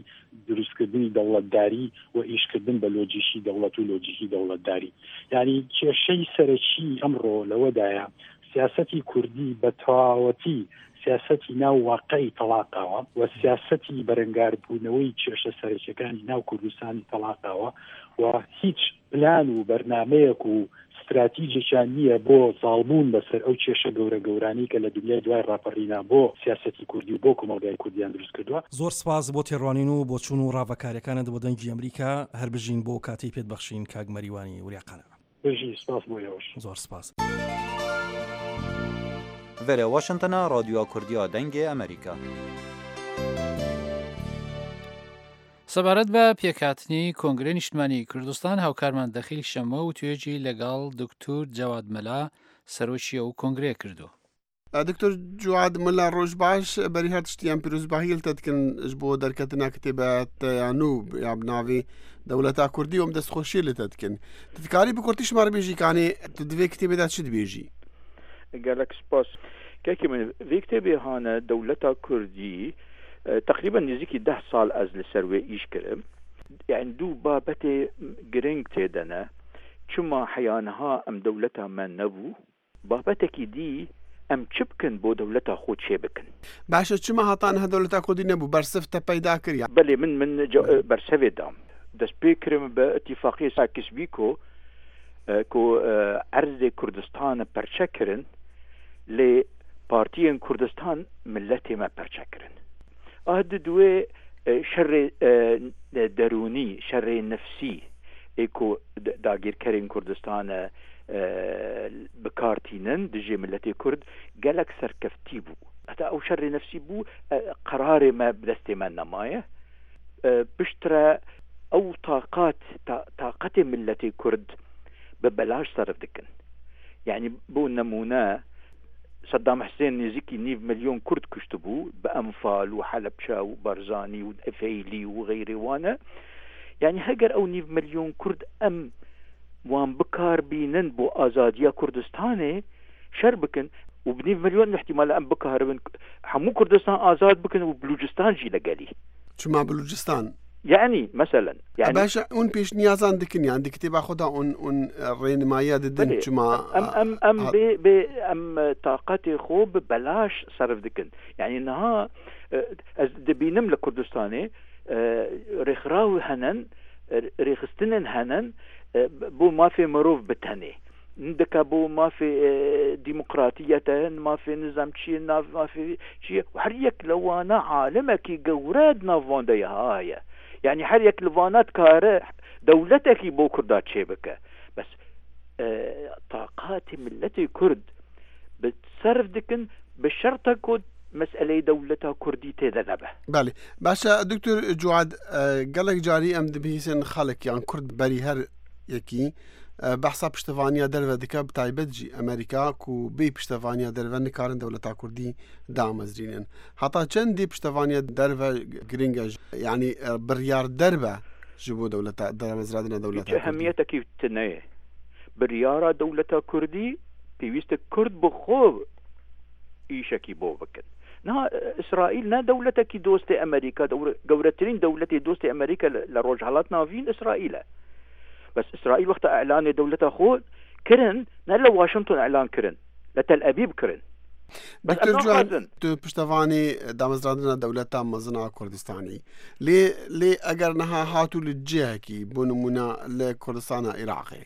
دروستکردنی دەوڵەتداری و ئیشکردن بە لۆجیکی دەوڵەت و لۆجیکی دەوڵەتداری. یعنی کێشەی سەرەکی ئەمڕۆ لەوەدایە سیاسەتی کوردی بە تەواوەتی سیاسەتی ناو واقعی تەڵاقاوە و سیاسەتی بەرەنگاربوونەوەی کێشە سەرەکیەکانی ناو کوردستانی تەڵاقاوە و هیچ پلان و بەرنامەیەک و ستراتیجێکیان نییە بۆ زاڵبوون بەسەر ئەو کێشە گەورە گەورانەی کە لە دنیای دوای ڕاپەڕینا بۆ سیاسەتی کوردی و بۆ کۆمەڵگای کوردیان دروست کردووە. زۆر سپاس بۆ تێڕوانین و بۆچوون و ڕاڤەکاریەکانت بۆ دەنگی ئەمریکا. هەر بژین بۆ کاتەی پێت بەخشین کاک مەریوانی وریاقانە. بژی، سپاس بۆ ئێوەش. زۆر سپاس. Vere Washingtona, Radyoya Kurdiya Dengê Amerîka. سەبارەت بە پێکهاتنی کۆنگرەی نیشتمانی کوردستان، هاوکارمان دەخیل شەمە و توێژی لەگەڵ دکتور جەواد مەلا، سەرۆکی ئەو کۆنگرەیە کردووە. دکتور جواد ملا، ڕۆژ باش. بەری هەر تشتیان پیرۆزباهی لە تەتکن ji bo derketina kitêbe te ya nû ya bi navê Dewleta Kurdî û em destxweşiyê li te dikin. Tu dikarî bi kurtî ji me re bêjî kanê tu di vê kitêbê de çi dibêjî? Gelek spas. Kekê min, vê kitêbê hane Dewleta Kurdî, e, teqrîben nêzîkî deh sal ez li ser wê îş kirim. Yani du babetê giring tê de ne. Çima heya niha em dewleta me nebû? Babetekî dî, em çi bikin bo dewleta xwe çê bikin? Baş e, çima heta niha dewleta Kurdî nebû? Bersiv te peyda kir ya? Belê, min, min ce-, bersevê dam. Dest pê kirim bi îtîfaqiyê Sykes-Picot, e, ku, e, erzê Kurdistan perçe kirin, lê partiyên Kurdistan miletê me perçe kirin. Ah, di duwê, e, şerê, e, derûnî, şerê nefsî ê ku d-, dagîrkerên Kurdistan, e, e, bi kar tînin dijî miletê Kurd gelek serkeftî bû. Heta ew şerê nefsî bû, e, qerarê me bi destê me nemaye. E, piştre ew taqat, ta-, taqetê miletê Kurd bi belaş serf dikin. Yani bo nemûne, Seddam Husên nêzîkî nîv milyon Kurd kuştibû, bi Enfal û Helebçe û Barzanî û Efeylî û xeyrê wan e. Yani heger ew nîv milyon Kurd em wan bi kar bînin bo azadiya Kurdistanê şer bikin û bi nîv milyon ihtimal em bikaribin hemû Kurdistan azad bikin û Bilûcistan jî legelî. Çima Bilûcistan? Yani, meselen, yani. Baş e, hûn pêşniyazan dikin, yani, di kitêba xwe de hûn, hûn, e, rênimayiya didin, belê, çima, em, em, em, e, bê, bê, em, e, taqetê xwe bi belaş serf dikin. Yani, niha, e, ez dibînim li Kurdistanê, e, rêxiraw henin, e, rêxistinên henin, e, bo mafê mirov bi tenê. Dike bo mafê, e, demokratiyete, mafê nizam çi ye, nav-, mafê çi ye. Her yek li wana alimekî gewre di nav wan de ya heye. Yani her yek li wana dikare dewletekî bo Kurda çêbike. Bes, e, taqatê miletê Kurd bi serf dikin, bi şerta ku meseleyê dewleta Kurdî tê de nebe. Belê. Baş e, Doktor Cuad, e, gelek carî em dibihîsin xelk yan Kurd berî her yekî E, behsa piştevaniya derve dike, bi taybet jî Amerîka, ku bê piştevaniya derve nikarin dewleta Kurdî damezrînin. Heta çendê piştevaniya derve giring e, yanî, e, biryar derve ji bo dewleta, damezrandina dewleta Kurdî? Hiç ehemiyetekî tune ye. Biryara dewleta Kurdî pêwîst e Kurd bi xwe îşekî bo bikin. Niha, e, Îsraîl ne dewletekî dostê Amerîka, dewre-, gewretirîn dewletê dostê Amerîka li, li Rojhelat Navîn Îsraîl e. Bes Îsraîl wexta îlanê dewleta xwe kirin, ne li Washington îlan kirin, li Tel Ebîb kirin. Bes Doktor em Ciwan, naxwazin. Tu piştevanî damezrandina dewleta mezin a Kurdistanî. Lê, lê eger niha hatû li cihekî, bo nimûne li Kurdistana Iraqê,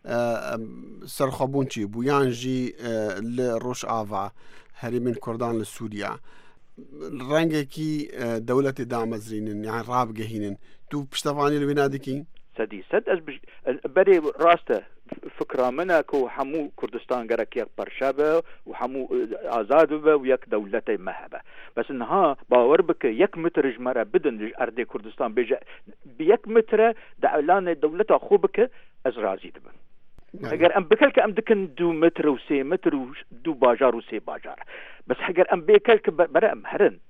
e, em, serxwebûn çêbû, yan jî, e, li Rojava herêmên Kurdan li Sûriya, rengekî, e, dewletê damezrînin, yan rabigehînin. Tu piştevanî li wê nadikî? Sedî sed ez bij-, ez berê rast e. Fikra min e ku hemû Kurdistan gerek yek parçe be û hemû, e, azad bibe û yek dewletê me hebe. Bes niha bawer bike, yek metr ji me re bidin ji erdê Kurdistan, bêje bi yek metre de îlanê dewleta xwe bike, ez razî dibim. Belê. Heger em bikelke, em dikin du metr û sê metr û du bajar û sê bajar. Bes heger em bê kelke be-, bere em herin.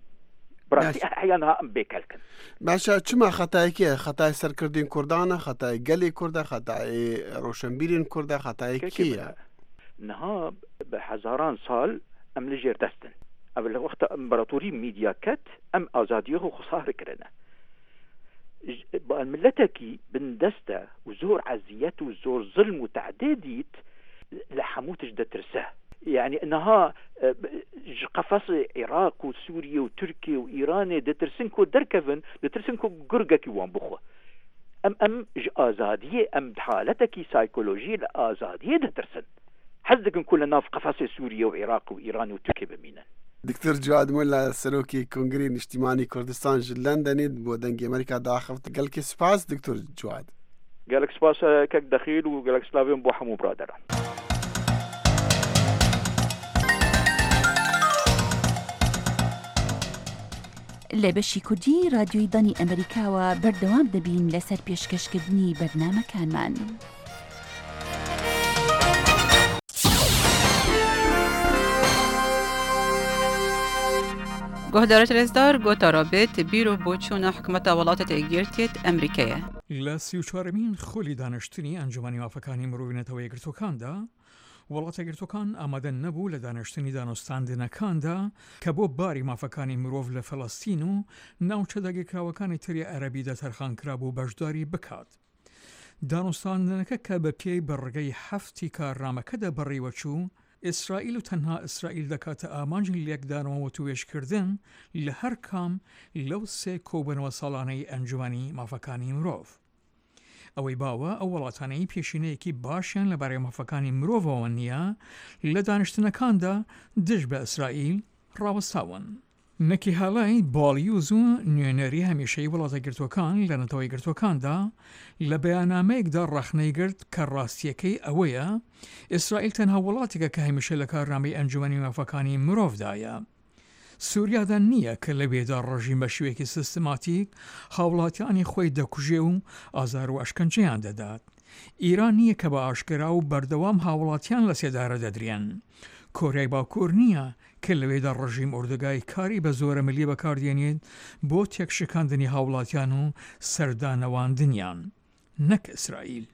Bi rastî Baş. Heya niha em bê kelkin. Baş e, çima xetayekî ye? Xetayê serkirdên Kurdan e, xetayê gelê Kurd e, xetayê roşenbîrên Kurd e, xetayê kê ye? Niha bi hezaran sal em li jêr dest in. Ev li wexta împaratorî Mîdya ket, em azadiyê xwe xwesar kirine. Ji, ba-, miletekî bindest e û zor eziyet û zor zilm û tehdê dît, li hemû tişt ditirse. Yani niha, e, ji qefesê Iraq û Sûriye û Tirkiye û Îranê ditirsin ku derkevin, ditirsin ku gurgekî wan bixwe. Em, em ji azadiyê, em di haletekî saykolojiyê li azadiyê ditirsin. Hez dikin ku li nav qefesê Sûriye û Iraq û Îran û Tirkiye bimînin. Doktor Ciwad Molla, Serokê Kongrê Niştîmanî Kurdistan ji Londonê, bo Dengê Amerîka daxift. Gelkê spas, Doktor Ciwad. Gelek spas, e, kek Dexîl, û gelek slavên bo hemû biraderan. لە بەشی کوردی رادیۆی دانی ئەمریکاوە بەردەوام دەبین لەسەر پێشکەشکردنی بەرنامەکانمان. Guhdarê rêzdar, gota Robêt bîro boçûna hikûmeta Welatêt Êkgirtiyêt Emerîkeyê. لە سی و چوارەمین خولی دانیشتنی ئەنجومەنی مافەکانی مرۆڤی نەتەوە یەکگرتووەکاندا، وڵاتە یەکگرتووەکان ئامادە نەبوو لە دانیشتنی دانوستاندنەکاندا کە بۆ باری مافەکانی مرۆڤ لە فەلەستین و ناوچە داگیرکراوەکانی تری عەرەبیدا تەرخان کرابوو بەشداری بکات. دانوستاندنەکە کە بە پێی بڕگەی هەفتی کارنامەکەدا بەڕێوە چوو، ئیسرائیل و تەنها ئیسرائیل دەکاتە ئامانجی لێکدانەوە و توێژکردن لە هەر کام لەو سێ کۆبوونەوە ساڵانەی ئەنجومەنی مافەکانی مرۆڤ. ئەوەی باوە، ئەو وڵاتانەی پێشینەیەکی باشیان لەبارەی مافەکانی مرۆڤەوە نییە، لە دانیشتنەکاندا دژ بە ئیسرائیل ڕاوەستاون. نەکی هاڵای باڵیوز و نوێنەری هەمیشەی وڵاتە گرتوەکان لە نەتەوەی گرتوەکاندا لە بەیانامەیەکدا ڕەخنەی گرت کە ڕاستیەکەی ئەوەیە، ئیسرائیل تەنها وڵاتێکە کە هەمیشە لە کارنامەی ئەنجومەنی مافەکانی مرۆڤدایە. سووریادا نییە کە لەوێدا ڕژیم بە شێوەیەکی سیستماتیک هاوڵاتیانی خۆی دەکوژێ و ئازار و ئەشکەنجەیان دەدات. ئیران نییە کە بە ئاشکرا و بەردەوام هاوڵاتیان لە سێدارە دەدرێن. کۆریای باکوور نییە کە لەوێدا ڕژیم ئۆردوگای کاری بە زۆرە ملی بەکاردێنێت بۆ تێکشکاندنی هاوڵاتیان و سەردانەواندنیان. نەک ئیسرائیل.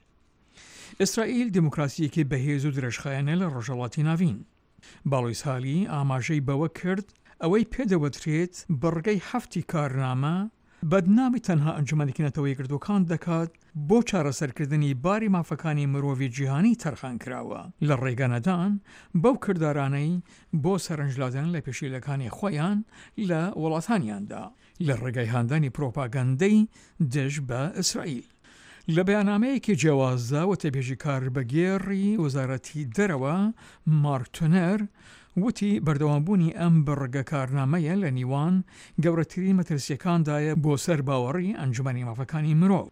ئیسرائیل دیموکراسیەکی بەهێز و درێژخایەنە لە ڕۆژهەڵاتی ناوین. باڵویز هالی ئاماژەی بەوە کرد، ئەوەی پێدەوترێت بڕگەی هەفتی کارنامە بەدنامی تەنها ئەنجومەنێکی نەتەوە یەکگرتووەکان دەکات بۆ چارەسەرکردنی باری مافەکانی مرۆڤی جیهانی تەرخان کراوە، لە ڕێگەنەدان بەو کردارانەی بۆ سەرنجلادان لە پێشیلەکانی خۆیان لە وڵاتانیاندا، لە ڕێگەی هاندانی پرۆپاگەندەی دژ بە ئیسرائیل. لە بەیانامەیەکی جیاوازدا، وتەبێژی کاربەگێڕی وەزارەتی دەرەوە مارک تونەر وتی، بەردەوامبوونی ئەم بڕگە کارنامەیە لە نیوان گەورەترین مەترسیەکاندایە بۆ سەر باوەڕی ئەنجومەنی مافەکانی مرۆڤ.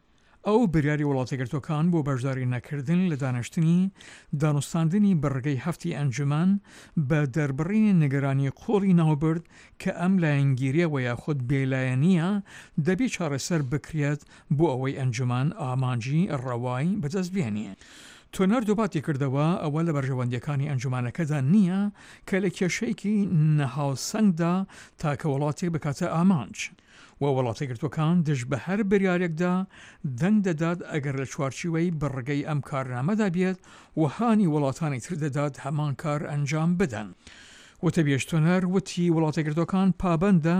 ئەو بریاری وڵاتە گرتوەکان بۆ بەشداری نەکردن لە دانیشتنی دانوستاندنی بڕگەی هەفتی ئەنجومەن بە دەربڕینی نیگەرانی قوڵی ناوبرد کە ئەم لایەنگیریە و یاخود بێلایەنیە دەبی چارەسەر بکرێت بۆ ئەوەی ئەنجومەن ئامانجی ڕەوای بەدەست بێنێ. تۆنەر دووپاتی کردەوە، ئەوە لە بەرژەوەندییەکانی ئەنجومەنەکەدا نییە کە لە کێشەیەکی نەهاوسەنگدا تاکە وڵاتێک بکاتە ئامانج و وڵاتە یەکگرتووەکان دژ بە هەر بڕیارێکدا دەنگ دەدات، ئەگەر لە چوارچیوەی بڕگەی ئەم کارنامەدا بێت و هانی وڵاتانی تر دەدات هەمان کار ئەنجام بدەن. وتەبێژ تۆنەر وتی وڵاتە یەکگرتووەکان پابەندە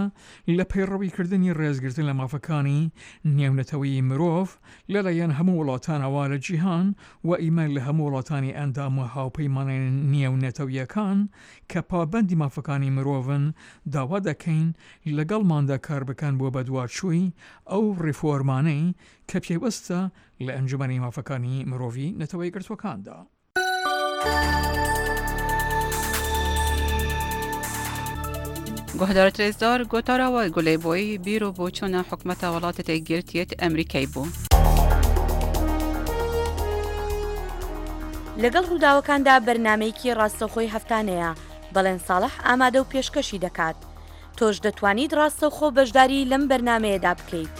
لە پەیڕەویکردنی ڕێزگرتن لە مافەکانی نێونەتەوەیی مرۆڤ لەلایەن هەموو وڵاتانەوە لە جیهان و ئیمە لە هەموو وڵاتانی ئەندام و هاوپەیمانانی نێونەتەویەکان کە پابەندی مافەکانی مرۆڤن داوا دەکەین لەگەڵماندا کار بکەن بۆ بەدواچووی ئەو ڕێفۆرمانەی کە پێوەستە لە ئەنجومەنی مافەکانی مرۆڤی نەتەوە یەکگرتووەکاندا. گوهدارت رێزدار، گۆتارەوە گولەی بۆی بیر و بۆچوونە حکومەتە وڵاتە تێگرتیێت ئەمریکای بوو. لەگەڵ ڕووداوەکاندا بەرنامەیەکی ڕاستەوخۆی هەفتانەیە، بەڵێن ساڵح ئامادە و پێشکەشی دەکات. تۆش دەتوانیت ڕاستەوخۆ بەشداری لەم بەرنامەیەدا بکەیت.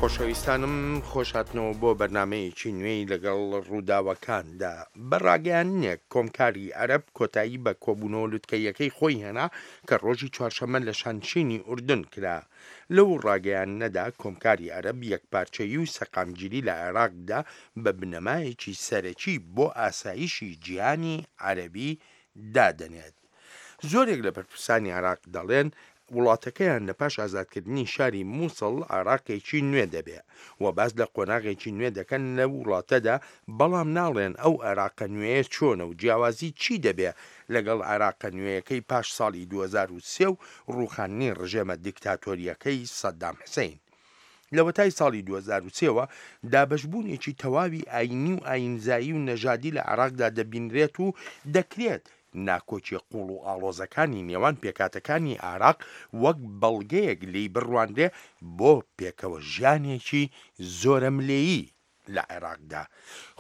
خۆشەویستانم، خۆش هاتنەوە بۆ بەرنامەیەکی نوێی لەگەڵ ڕووداوەکاندا. بە ڕاگەیاندنێک، کۆمکاری عەرەب کۆتایی بە کۆبوونەوە لوتکەییەکەی خۆی هێنا کە ڕۆژی چوارشەممە لە شانشینی ئوردن کرا. لەو ڕاگەیاندنەدا، کۆمکاری عەرەب یەکپارچەیی و سەقامگیری لە عێراقدا بە بنەمایەکی سەرەکی بۆ ئاسایشی جیهانی عەرەبی دادەنێت. زۆرێک لە بەرپرسانی عێراق دەڵێن وڵاتەکەیان لە پاش ئازادکردنی شاری موسڵ عێراقێکی نوێ دەبێ و باس لە قۆناغێکی نوێ دەکەن لە وڵاتەدا، بەڵام ناڵێن ئەو عێراقە نوێیە چۆنە و جیاوازی چی دەبێ لەگەڵ عێراقە نوێیەکەی پاش ساڵی دوو هەزار و سێ و ڕووخاندنی ڕژێمە دیکتاتۆریەکەی سەدام حسین. لە وەتای ساڵی دوو هەزار و سێ وە دابەشبوونێکی تەواوی ئاینی و ئاینزایی و نەژادی لە عێراقدا دەبینرێت و دەکرێت ناکۆکیە قوڵ و ئاڵۆزەکانی نێوان پێکاتەکانی عێراق وەک بەڵگەیەک لێی بڕوانرێ بۆ پێکەوە ژیانێکی زۆرەملێیی لە عێراقدا.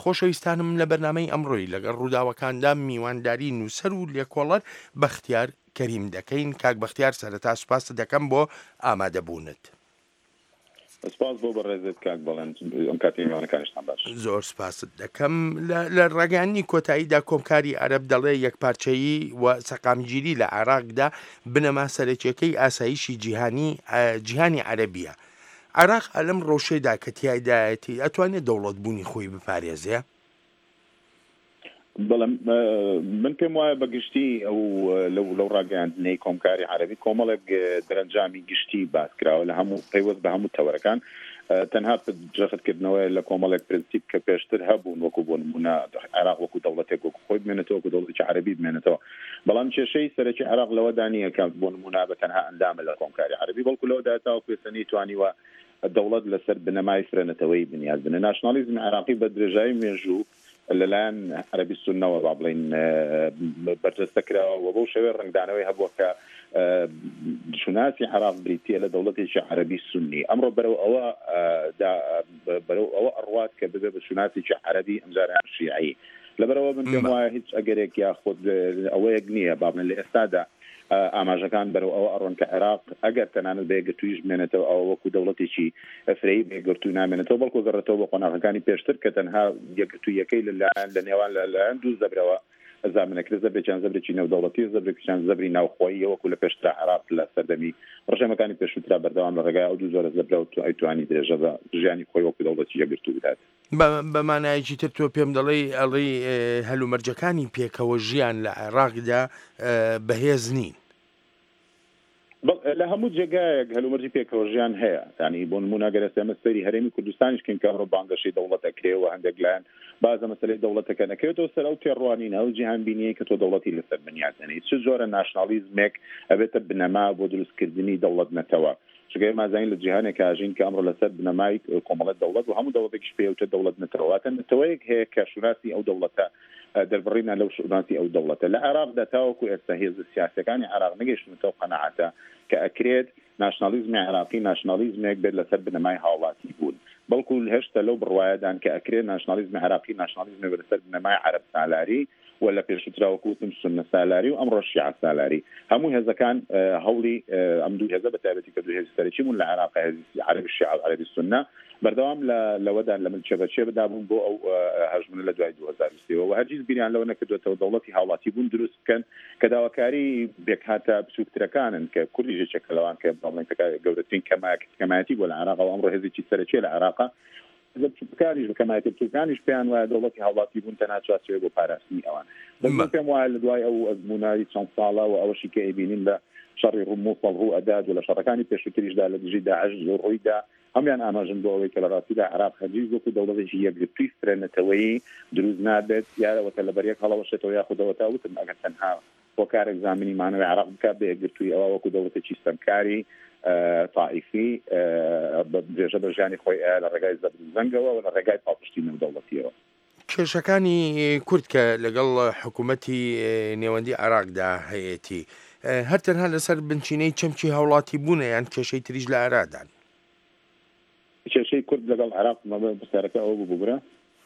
خۆشەویستانم، لە بەرنامەی ئەمڕۆی لەگەڵ ڕووداوەکاندا میوانداری نووسەر و لێکۆڵەر بەختیار کەریم دەکەین. کاک بەختیار، سەرەتا سوپاست دەکەم بۆ ئامادەبوونت. سپاس بۆ بەڕێزت کاک بەڵێن، ئەم کاتی میوانەکانیشتان باش. زۆر سپاست دەکەم. لە لە ڕاگەیاندنی کۆتاییدا کۆمکاری عەرەب دەڵێ یەکپارچەیی و سەقامگیری لە عێراقدا بنەما سەرەکیەکەی ئاسایشی جیهانی جیهانی عەرەبیە. عێراق ئەلەم ڕەوشەیدا کە تیایدایەتی ئەتوانێت دەوڵەتبوونی خۆی بپارێزێ؟ بەڵێ، من پێم وایە بە گشتی ئەو لەو لەو ڕاگەیاندنەی کۆمکاری عەرەبی کۆمەڵێک دەرەنجامی گشتی باس کراوە لە هەموو پەیوەست بە هەموو تەوەرەکان. تەنها جەختکردنەوەیە لە کۆمەڵێک پرنسیپ کە پێشتر هەبوون، وەکو بۆ نمونە عێراق وەکو دەوڵەتێک وەکو خۆی بمێنێتەوە، وەکو دەوڵەتێکی عەرەبی بمێنێتەوە. بەڵام کێشەی سەرەکی عێراق لەوەدا نییە کە بۆ نمونە بە تەنها ئەندامە لە کۆمکاری عەرەبی، بەڵکو لەوەدا تاوەکو ئێستا نەیتوانیوە دەوڵەت لەسەر بنەمای فرەنەتەوەی بنیاد بنێ. ناشنالیزمی عێراقی بە درێژایی مێژوو لەلایەن عەرەبی سوننەوە، با بڵێن، بەرجەستە کراوە و بەو شێوەیە ڕەنگدانەوەی هەبووە کە شوناسی عێراق بریتییە لە دەوڵەتێکی عەرەبی سوننی. ئەمڕۆ بەرەو ئەوە دا بەرەو ئەوە ئەڕوات کە ببێ بە شوناسێکی عەرەبی، ئەمجارە شیعی. لەبەرەوە من پێم وایە هیچ ئەگەرێک یاخود ئەوەیەک نییە، با بڵێن، لە ئێستادا ئاماژەکان بەرەو ئەوە ئەڕۆن کە عێراق ئەگەر تەنانەت بە یەکگرتوویش بمێنێتەوە، ئەوە وەکو دەوڵەتێکی فرەیی بە یەکگرتوو نامێنێتەوە، بەڵکو گەڕێتەوە بە قۆناغەکانی پێشتر کە تەنها یەکگرتوویەکەی لەلایەن لە نێوان لەلایەن دوو زەبرەوە زامنەکرد، زەبرێکیان زەبرێکی نێودەوڵەتی، زەبرێکیان زەبری ناوخۆیی، وەکو لە پێشترا عێراق لە سەردەمی ڕژێمەکانی پێشووترا بەردەوام لە ڕێگای ئەو دوو زۆرە زەبرەوە تو ئەیتوانی درێژە بە ژیانی خۆی وەکو دەوڵەتی یەکگرتوو بدات. بە بە مانایەکی تر تۆ پێم دەڵێی، ئەڵێی هەلومەرجەکانی پێکەوە ژیان لە عێراقدا بەهێز نین. لە هەموو جێگایەک هەلومەرجی پێکەوە ژیان هەیە. یانی بۆ نمونە گەر ئێستا ئێمە سەیری هەرێمی کوردستانیش کەین کە ئەمڕۆ بانگەشەی دەوڵەت ئەکرێ و هەندێک لایەن بازە مەسەلەی دەوڵەتەکە نەکەوێتەوە سەر ئەو تێڕوانینە، ئەو جیهان بینیەی کە تۆ دەوڵەتی لەسەر بنیاد دەنێی. چ جۆرە ناشنالیزمێک ئەبێتە بنەما بۆ دروستکردنی دەوڵەت نەتەوە؟ چونکە ئێمە ئەزانین لە جیهانێکا ئەژین کە ئەمڕۆ لەسەر بنەمای کۆمەڵە دەوڵەت و هەموو دەوڵەتێکیش پێی وتە دەوڵەت نەتەوە، واتە نەتەوەیەک هەیە کە شوناسی ئەو دەوڵەتە، دەربڕینە لەو شوناسی ئەو دەوڵەتە. لە عێراقدا تاوەکو ئێستا هێزە سیاسیەکانی عێراق نەگەیشتونەتەو قەناعەتە کە ئەکرێت ناشنالیزمی عێراقی ناشنالیزمێک بێت لەسەر بنەمای هاوڵاتی بوون، بەڵکو هێشتا لەو بڕوایەدان کە ئەکرێت ناشنالیزمی عێراقی ناشنالیزمێک بێت لەسەر بنەمای عەرەب سالاری و لە پێشووترا وەکو وتم سوننە سالاری و ئەمڕۆ شیعە سالاری. هەموو هێزەکان، ئە، هەوڵی، ئە، ئەم دوو هێزە، بە تایبەتی کە دوو هێزی سەرەکی بوون لە عێراق، هێزی عەرەبی شیعە و عەرەبی سوننە، بەردەوام لە، لەوەدان لە ملچە بەچێ بدابوون بۆ ئەو، ئە، هەژمونە لە دوای دوو هەزار و سێ و هەرگیز بیریان لەوە نەکردوێتەوە دەوڵەتی هاوڵاتی بوون دروست بکەن کە داواکاری پێکهاتە بچووکترەکانن کە کوردیش یەکێکە لەوان کە بەڵێن گەورەترین کەمایەتی بۆ لە عێراق و ئەمڕۆ هێزێکی سەرەکیە لە عێراقە. هێزە بچووکەکانیش، لە کەمایەتە بچووکەکانیش پێیان وایە دەوڵەتی هاوڵاتی بوون تەنها چوارچێوەیە بۆ پاراستنی ئەوان. بەس من پێم وایە لە دوای ئەو ئەزموونەی چەند ساڵە و ئەوەشی کە ئەیبینین لە شەڕی ڕوو موسڵ ڕوو ئەدات و لە شەڕەکانی پێشووتریشدا لە دژی داعش ڕوویدا، هەمویان ئاماژن بۆ ئەوەی کە لە ڕاستیدا عێراق هەرگیز وەکو دەوڵەتێکی یەکگرتووی فرەنەتەوەیی دروست نابێت، یا ئەوەتە لەبەر یەک هەڵەوەشێتەوە یاخود ئەوەتا وتم ئەگەر تەنها هۆکارێک زامنی مانەوەی عێراق بکات بە یەکگرتووی ئەوە وەکو دەوڵەتێکی ستەمکاری، ئە، تائیفی، ئە، بە درێژە بە ژیانی خۆی ئەیا لە ڕێگای زەبر و زەنگەوە و لە ڕێگای پاڵپشتی نێودەوڵەتیەوە. کێشەکانی کورد کە لەگەڵ حکوومەتی، ئێ، نێوەندی عێراقدا هەیەتی، ئێ، هەر تەنها لەسەر بنچینەی چەمکی هاوڵاتی بوونە یان کێشەی تریش لە ئارادان؟ کێشەی کورد لەگەڵ عێراق، مەبە پرسیارەکە ئەوە بوو، ببرە؟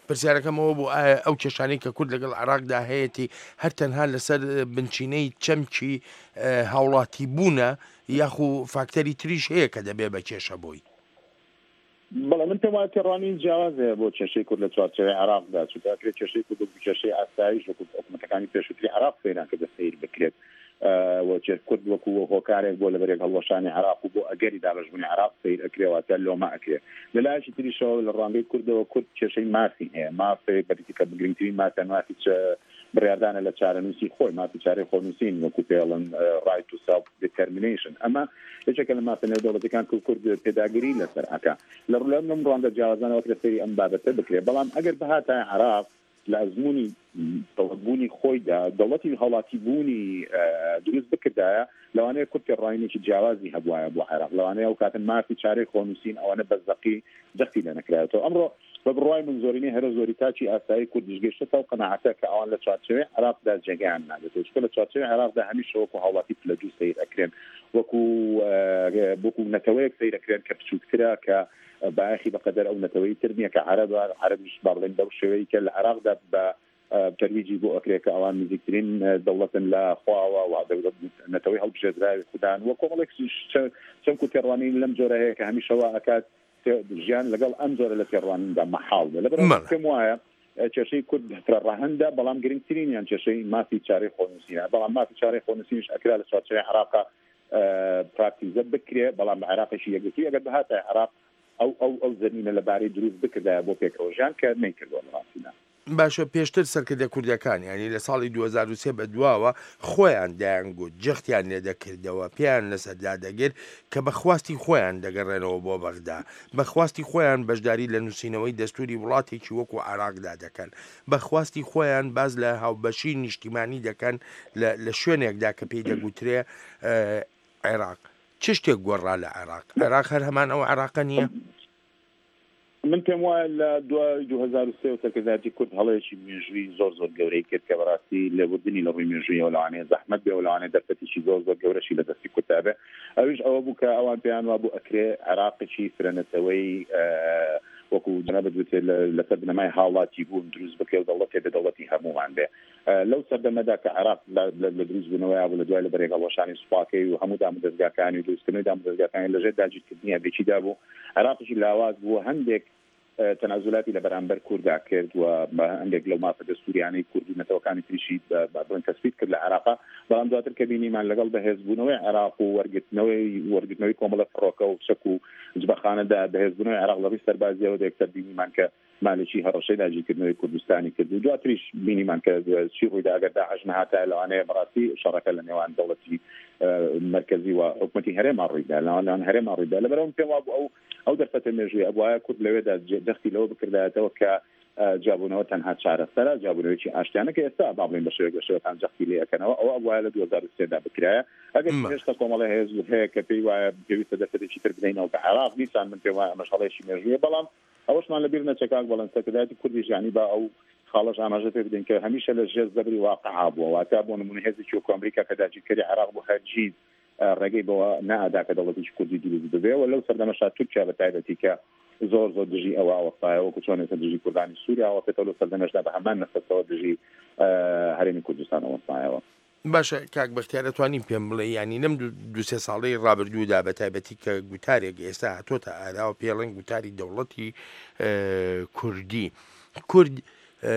پرسیارەکەم ئەوە بوو، ئایا ئەو کێشانەی کە کورد لەگەڵ عێراقدا هەیەتی هەر تەنها لەسەر بنچینەی چەمکی، ئێ، هاوڵاتی بوونە یاخو فاکتەری تریش هەیە کە دەبێ بە کێشە بۆی؟ بەڵێ، من پێم وایە تێڕوانین جیاواز هەیە بۆ کێشەی کورد لە چوارچێوەی عێراقدا، چونکە ئەکرێت کێشەی کورد وەکو کێشەی ئاسایش وەکو حکوومەتەکانی پێشووتری عێراق سەیران کردە سەیر بکرێت. ئە، و چێ-، کورد وەکو هۆکارێک بۆ لەبەرێک هەڵوەشانی عێراق و بۆ ئەگەری دابەشبوونی عێراق سەیر ئەکرێ، واتە لۆمە ئەکرێ. لە لایەکی تریشەوە لە ڕوانگەی کوردەوە کورد کێشەی مافی هەیە. مافی بەریتی کە گرنگترین مافیان مافی چ-، بڕیاردانە لە چارەنووسی خۆی، مافی چارەی خۆنووسین وەکو پێڵن، ئە، right to self determination. ئەمە یەکێکە لە مافە نێودەوڵەتەکان کە کورد پێداگری لەسەر ئەکا. لە ڕوو لەم ڕوانگە جیاوازانەوە کە سەیری ئەم بابەتە بکرێ. بەڵام ئەگەر بهاتە عێراق لە ئەزموونی دەوڵەتبوونی خۆیدا، دەوڵەتی هاوڵاتی بوونی، ئە، دروست بکردایە، لەوانەیە کورد پێڕوانینێکی جیاوازی هەبوایە بۆ عێراق. لەوانەیە ئەو کاتە مافی چارەی خۆنووسین ئەوانە بە زەقی جەختی لێ نەکرایەوە. ئەمڕۆ بە بڕوای من زۆرینەی هەرە زۆری تاکی ئاسایی کورد دژگەشتە ئەو قەناعەتە کە ئەوان لە چوارچێوەی عێراقدا جێگەیان نابێت. چونکە لە چوارچێوەی عێراقدا هەمیشە وەکو هاوڵاتی پلەدوو سەیر ئەکرێن، وەکو، ئە، وەکو نەتەوەیەک سەیر ئەکرێن کە بچووکترە، کە بایەخی بەقەدەر ئەو نەتەوەی تر نییە کە عەرەبە. عەرەبیش با بڵێن بەو شێوەیەی کە لە عێراقدا بە، ئە، تەرویجی بۆ ئەکرێ کە ئەوان نزیکترین، ئە، دەوڵەتن لە خواوە و دەوڵەت نەتەوەی هەڵبژێردراوی خودان و کۆمەڵێک ش-، چەمک و تێڕوانین لەم جۆرە هەیە کە هەمیشەوە ئەکات ژیان لەگەڵ ئەم جۆرە لە تێڕوانیندا مەحاڵ بێ. لەبەرەوە مەڵێ. پێم وایە، ئە، کێشەی کورد فرەڕەهەندە، بەڵام گرنگترینیان کێشەی مافی چارەی خۆنووسینە. بەڵام مافی چارەی خۆنووسینیش ئەکرا لە چوارچێوەی عێراقا، ئە، پراکتیزە بکرێ، بەڵام بە عێراقێکی یەکگرتووی ئەگەر بهاتە عێراق ئەو، ئەو، ئەو زەمینە لەبارەی دروست بکردایە بۆ پێکەوەژیان کە نەیکردووە لە ڕاستیدا. باشە، پێشتر سەرکردە کوردەکان، یعنی لە ساڵی دوو هەزار و سێ بە دواوە خۆیان دەیانگوت، جەختیان لێ دەکردەوە، پێیان لەسەر دادەگر کە بە خواستی خۆیان دەگەڕێنەوە بۆ بەغدا، بە خواستی خۆیان بەشداری لە نووسینەوەی دەستوری وڵاتێکی وەکو عێراقدا دەکەن، بە خواستی خۆیان باز لە هاوبەشی نیشتیمانی دەکەن لە، لە شوێنێکدا کە پێی دەگوترێ، ئە، عێراق. چ شتێک گۆڕا لە عێراق؟ عێراق هەر هەمان ئەو عێراقە نییە؟ من پێم وایە لە دوای دوو هەزار و سێ و سەرکردایەتی کورد هەڵەیەکی مێژووی زۆر زۆر گەورەی کرد کە بەڕاستی لێبوردنی لە ڕووی مێژوویەوە لەوانەیە زەحمەت بێ و لەوانەیە دەرفەتێکی زۆر زۆر گەورەشی لە دەستی کورددا بێ. ئەویش ئەوە بوو کە ئەوان پێیان وابوو ئەکرێ عێراقێکی فرەنەتەوەی، ئە، وەکو جەنابەت وتێ لە، لەسەر بنەمای هاوڵاتی بوون دروست بکرێ و دەوڵەتێ بێ دەوڵەتی هەمووان بێ. ئە، لەو سەردەمەدا کە عێراق لە، لە، لە دروست بوونەوەیا بوو لە دوای لە بەرەی هەڵوەشانی سوپاکەی و هەموو دامودەزگاکانی و دروستکردنەوەی دامودەزگاکانی لەژێر داگیرکردنی ئەبێکیدا بوو، عێراقیشی لاواز بوو، هەندێک، ئە، تەنازولاتی لە بەرامبەر کووردا کرد و بە هەندێک لەو مافە دەستوریانەی کورد و نەتەوەکانی تریشی بە، بە، بڵێن تەسبیت کرد لە عێراقا. بەڵام دواتر کە بینیمان لەگەڵ بەهێزبوونەوەی عێراق و وەرگرتنەوەی، وەرگرتنەوەی کۆمەڵە فڕۆکە و چەک و جبەخانەدا بەهێزبوونەوەی عێراق لە ڕووی سەربازیەوە دێکتەر بینیمان کە مالکی هەڕەشەی داگیرکردنەوەی کوردستانی کرد و دواتریش بینیمان کە چی ڕوویدا ئەگەر داعش نەهاتایە لەوانەیە بەڕاستی شەڕەکە لە نێوان دەوڵەتی، ئە، مەرکەزی و حکومەتی هەرێما ڕوویدا، لەوان، لەوان هەرێما ڕوویدا. لەبەرەوە پێم وابوو ئەو، ئەو دەرفەتە مێژووی ئەبوایە کورد لەوێدا جێ-، جەختی لەوە بکردایەتەوە کە، ئە، جابوونەوە تەنها چارەسەرە، جابوونەوەیەکی ئاشتیانە کە ئێستا با بڵێن بە شێوەیەک لە شێوەکان جەختی لێ ئەکەنەوە، ئەوە ئەبوایە لە دوو هەزار و سێ دا بکرایە. ئەگەر مە. هێشتا کۆمەڵی هێز هەیە کە پێی وایە پێویستە دەرفەتێکی تر بدەینەوە بە عێراق، دیسان من پێم وایە ئەمەش هەڵەیەکی مێژوویە، بەڵام ئەوەشمان لەبیر نەچێ کاک بەڵێن سەرکردایەتی کوردیش، یعنی با ئەو خاڵەش ئاماژە پێ بدەین کە هەمیشە لە ژێر زەبری واقعا بووە، واتە بۆ نمونە هێزێکی وەکو ئەمریکا کە داگیرکەری عێراق بوو هەرگیز، ئە، ڕێگەی بەوە نەئەدا کە دەوڵەتێکی کوردی دروست ببێ و لەو سەردەمەشا تورکیا بە تایبەتی کە، زۆر زۆر دژی ئەوە ئەوەستایەوە، وەکو چۆن ئێستا دژی کوردانی سووریا ئەوەستێتەوە، لە سەردەمێشدا بە هەمان نەسەتەوە دژی، ئە، هەرێمی کوردستان ئەوەستایەوە. باشە، کاک بەختیار، ئەتوانین پێم بڵێ، یعنی، لەم دوو، دوو سێ ساڵەی ڕابردوودا، بە تایبەتی کە گوتارێک ئێستا هاتۆتە ئاراوە، پێڵێن گوتاری دەوڵەتی، ئە، کوردی. کورد، ئە،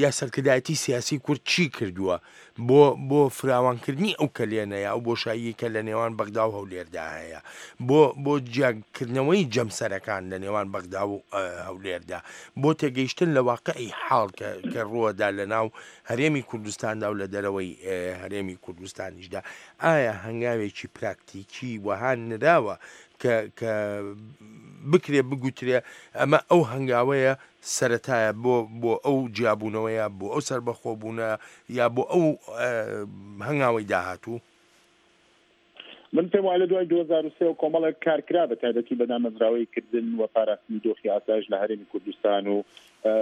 یا سەرکردایەتی سیاسی کورد چی کردووە بۆ، بۆ فراوانکردنی ئەو کەلێنەیە، ئەو بۆشاییە کە لە نێوان بەغدا و هەولێردا هەیە، بۆ، بۆ جیاکردنەوەی جەمسەرەکان لە نێوان بەغدا و، ئە، هەولێردا، بۆ تێگەیشتن لە واقعی حاڵ کە، کە ڕووەدا لە ناو هەرێمی کوردستاندا و لە دەرەوەی، ئە، هەرێمی کوردستانیشدا. ئایا هەنگاوێکی پراکتیکی وەها نراوە کە، کە بکرێ بگوترێ ئەمە ئەو هەنگاوەیە سەرەتایە بۆ، بۆ ئەو جیابوونەوەیە، بۆ ئەو سەربەخۆبوونە، یا بۆ ئەو، ئە، هەنگاوەی داهاتوو؟ من پێم وایە لە دوای دوو هەزار و سێ و کۆمەڵێک کار کرا، بە تایبەتی بە دامەزراوەی کردن و پاراستنی دۆخی ئاسایش لە هەرێمی کوردستان و، ئە،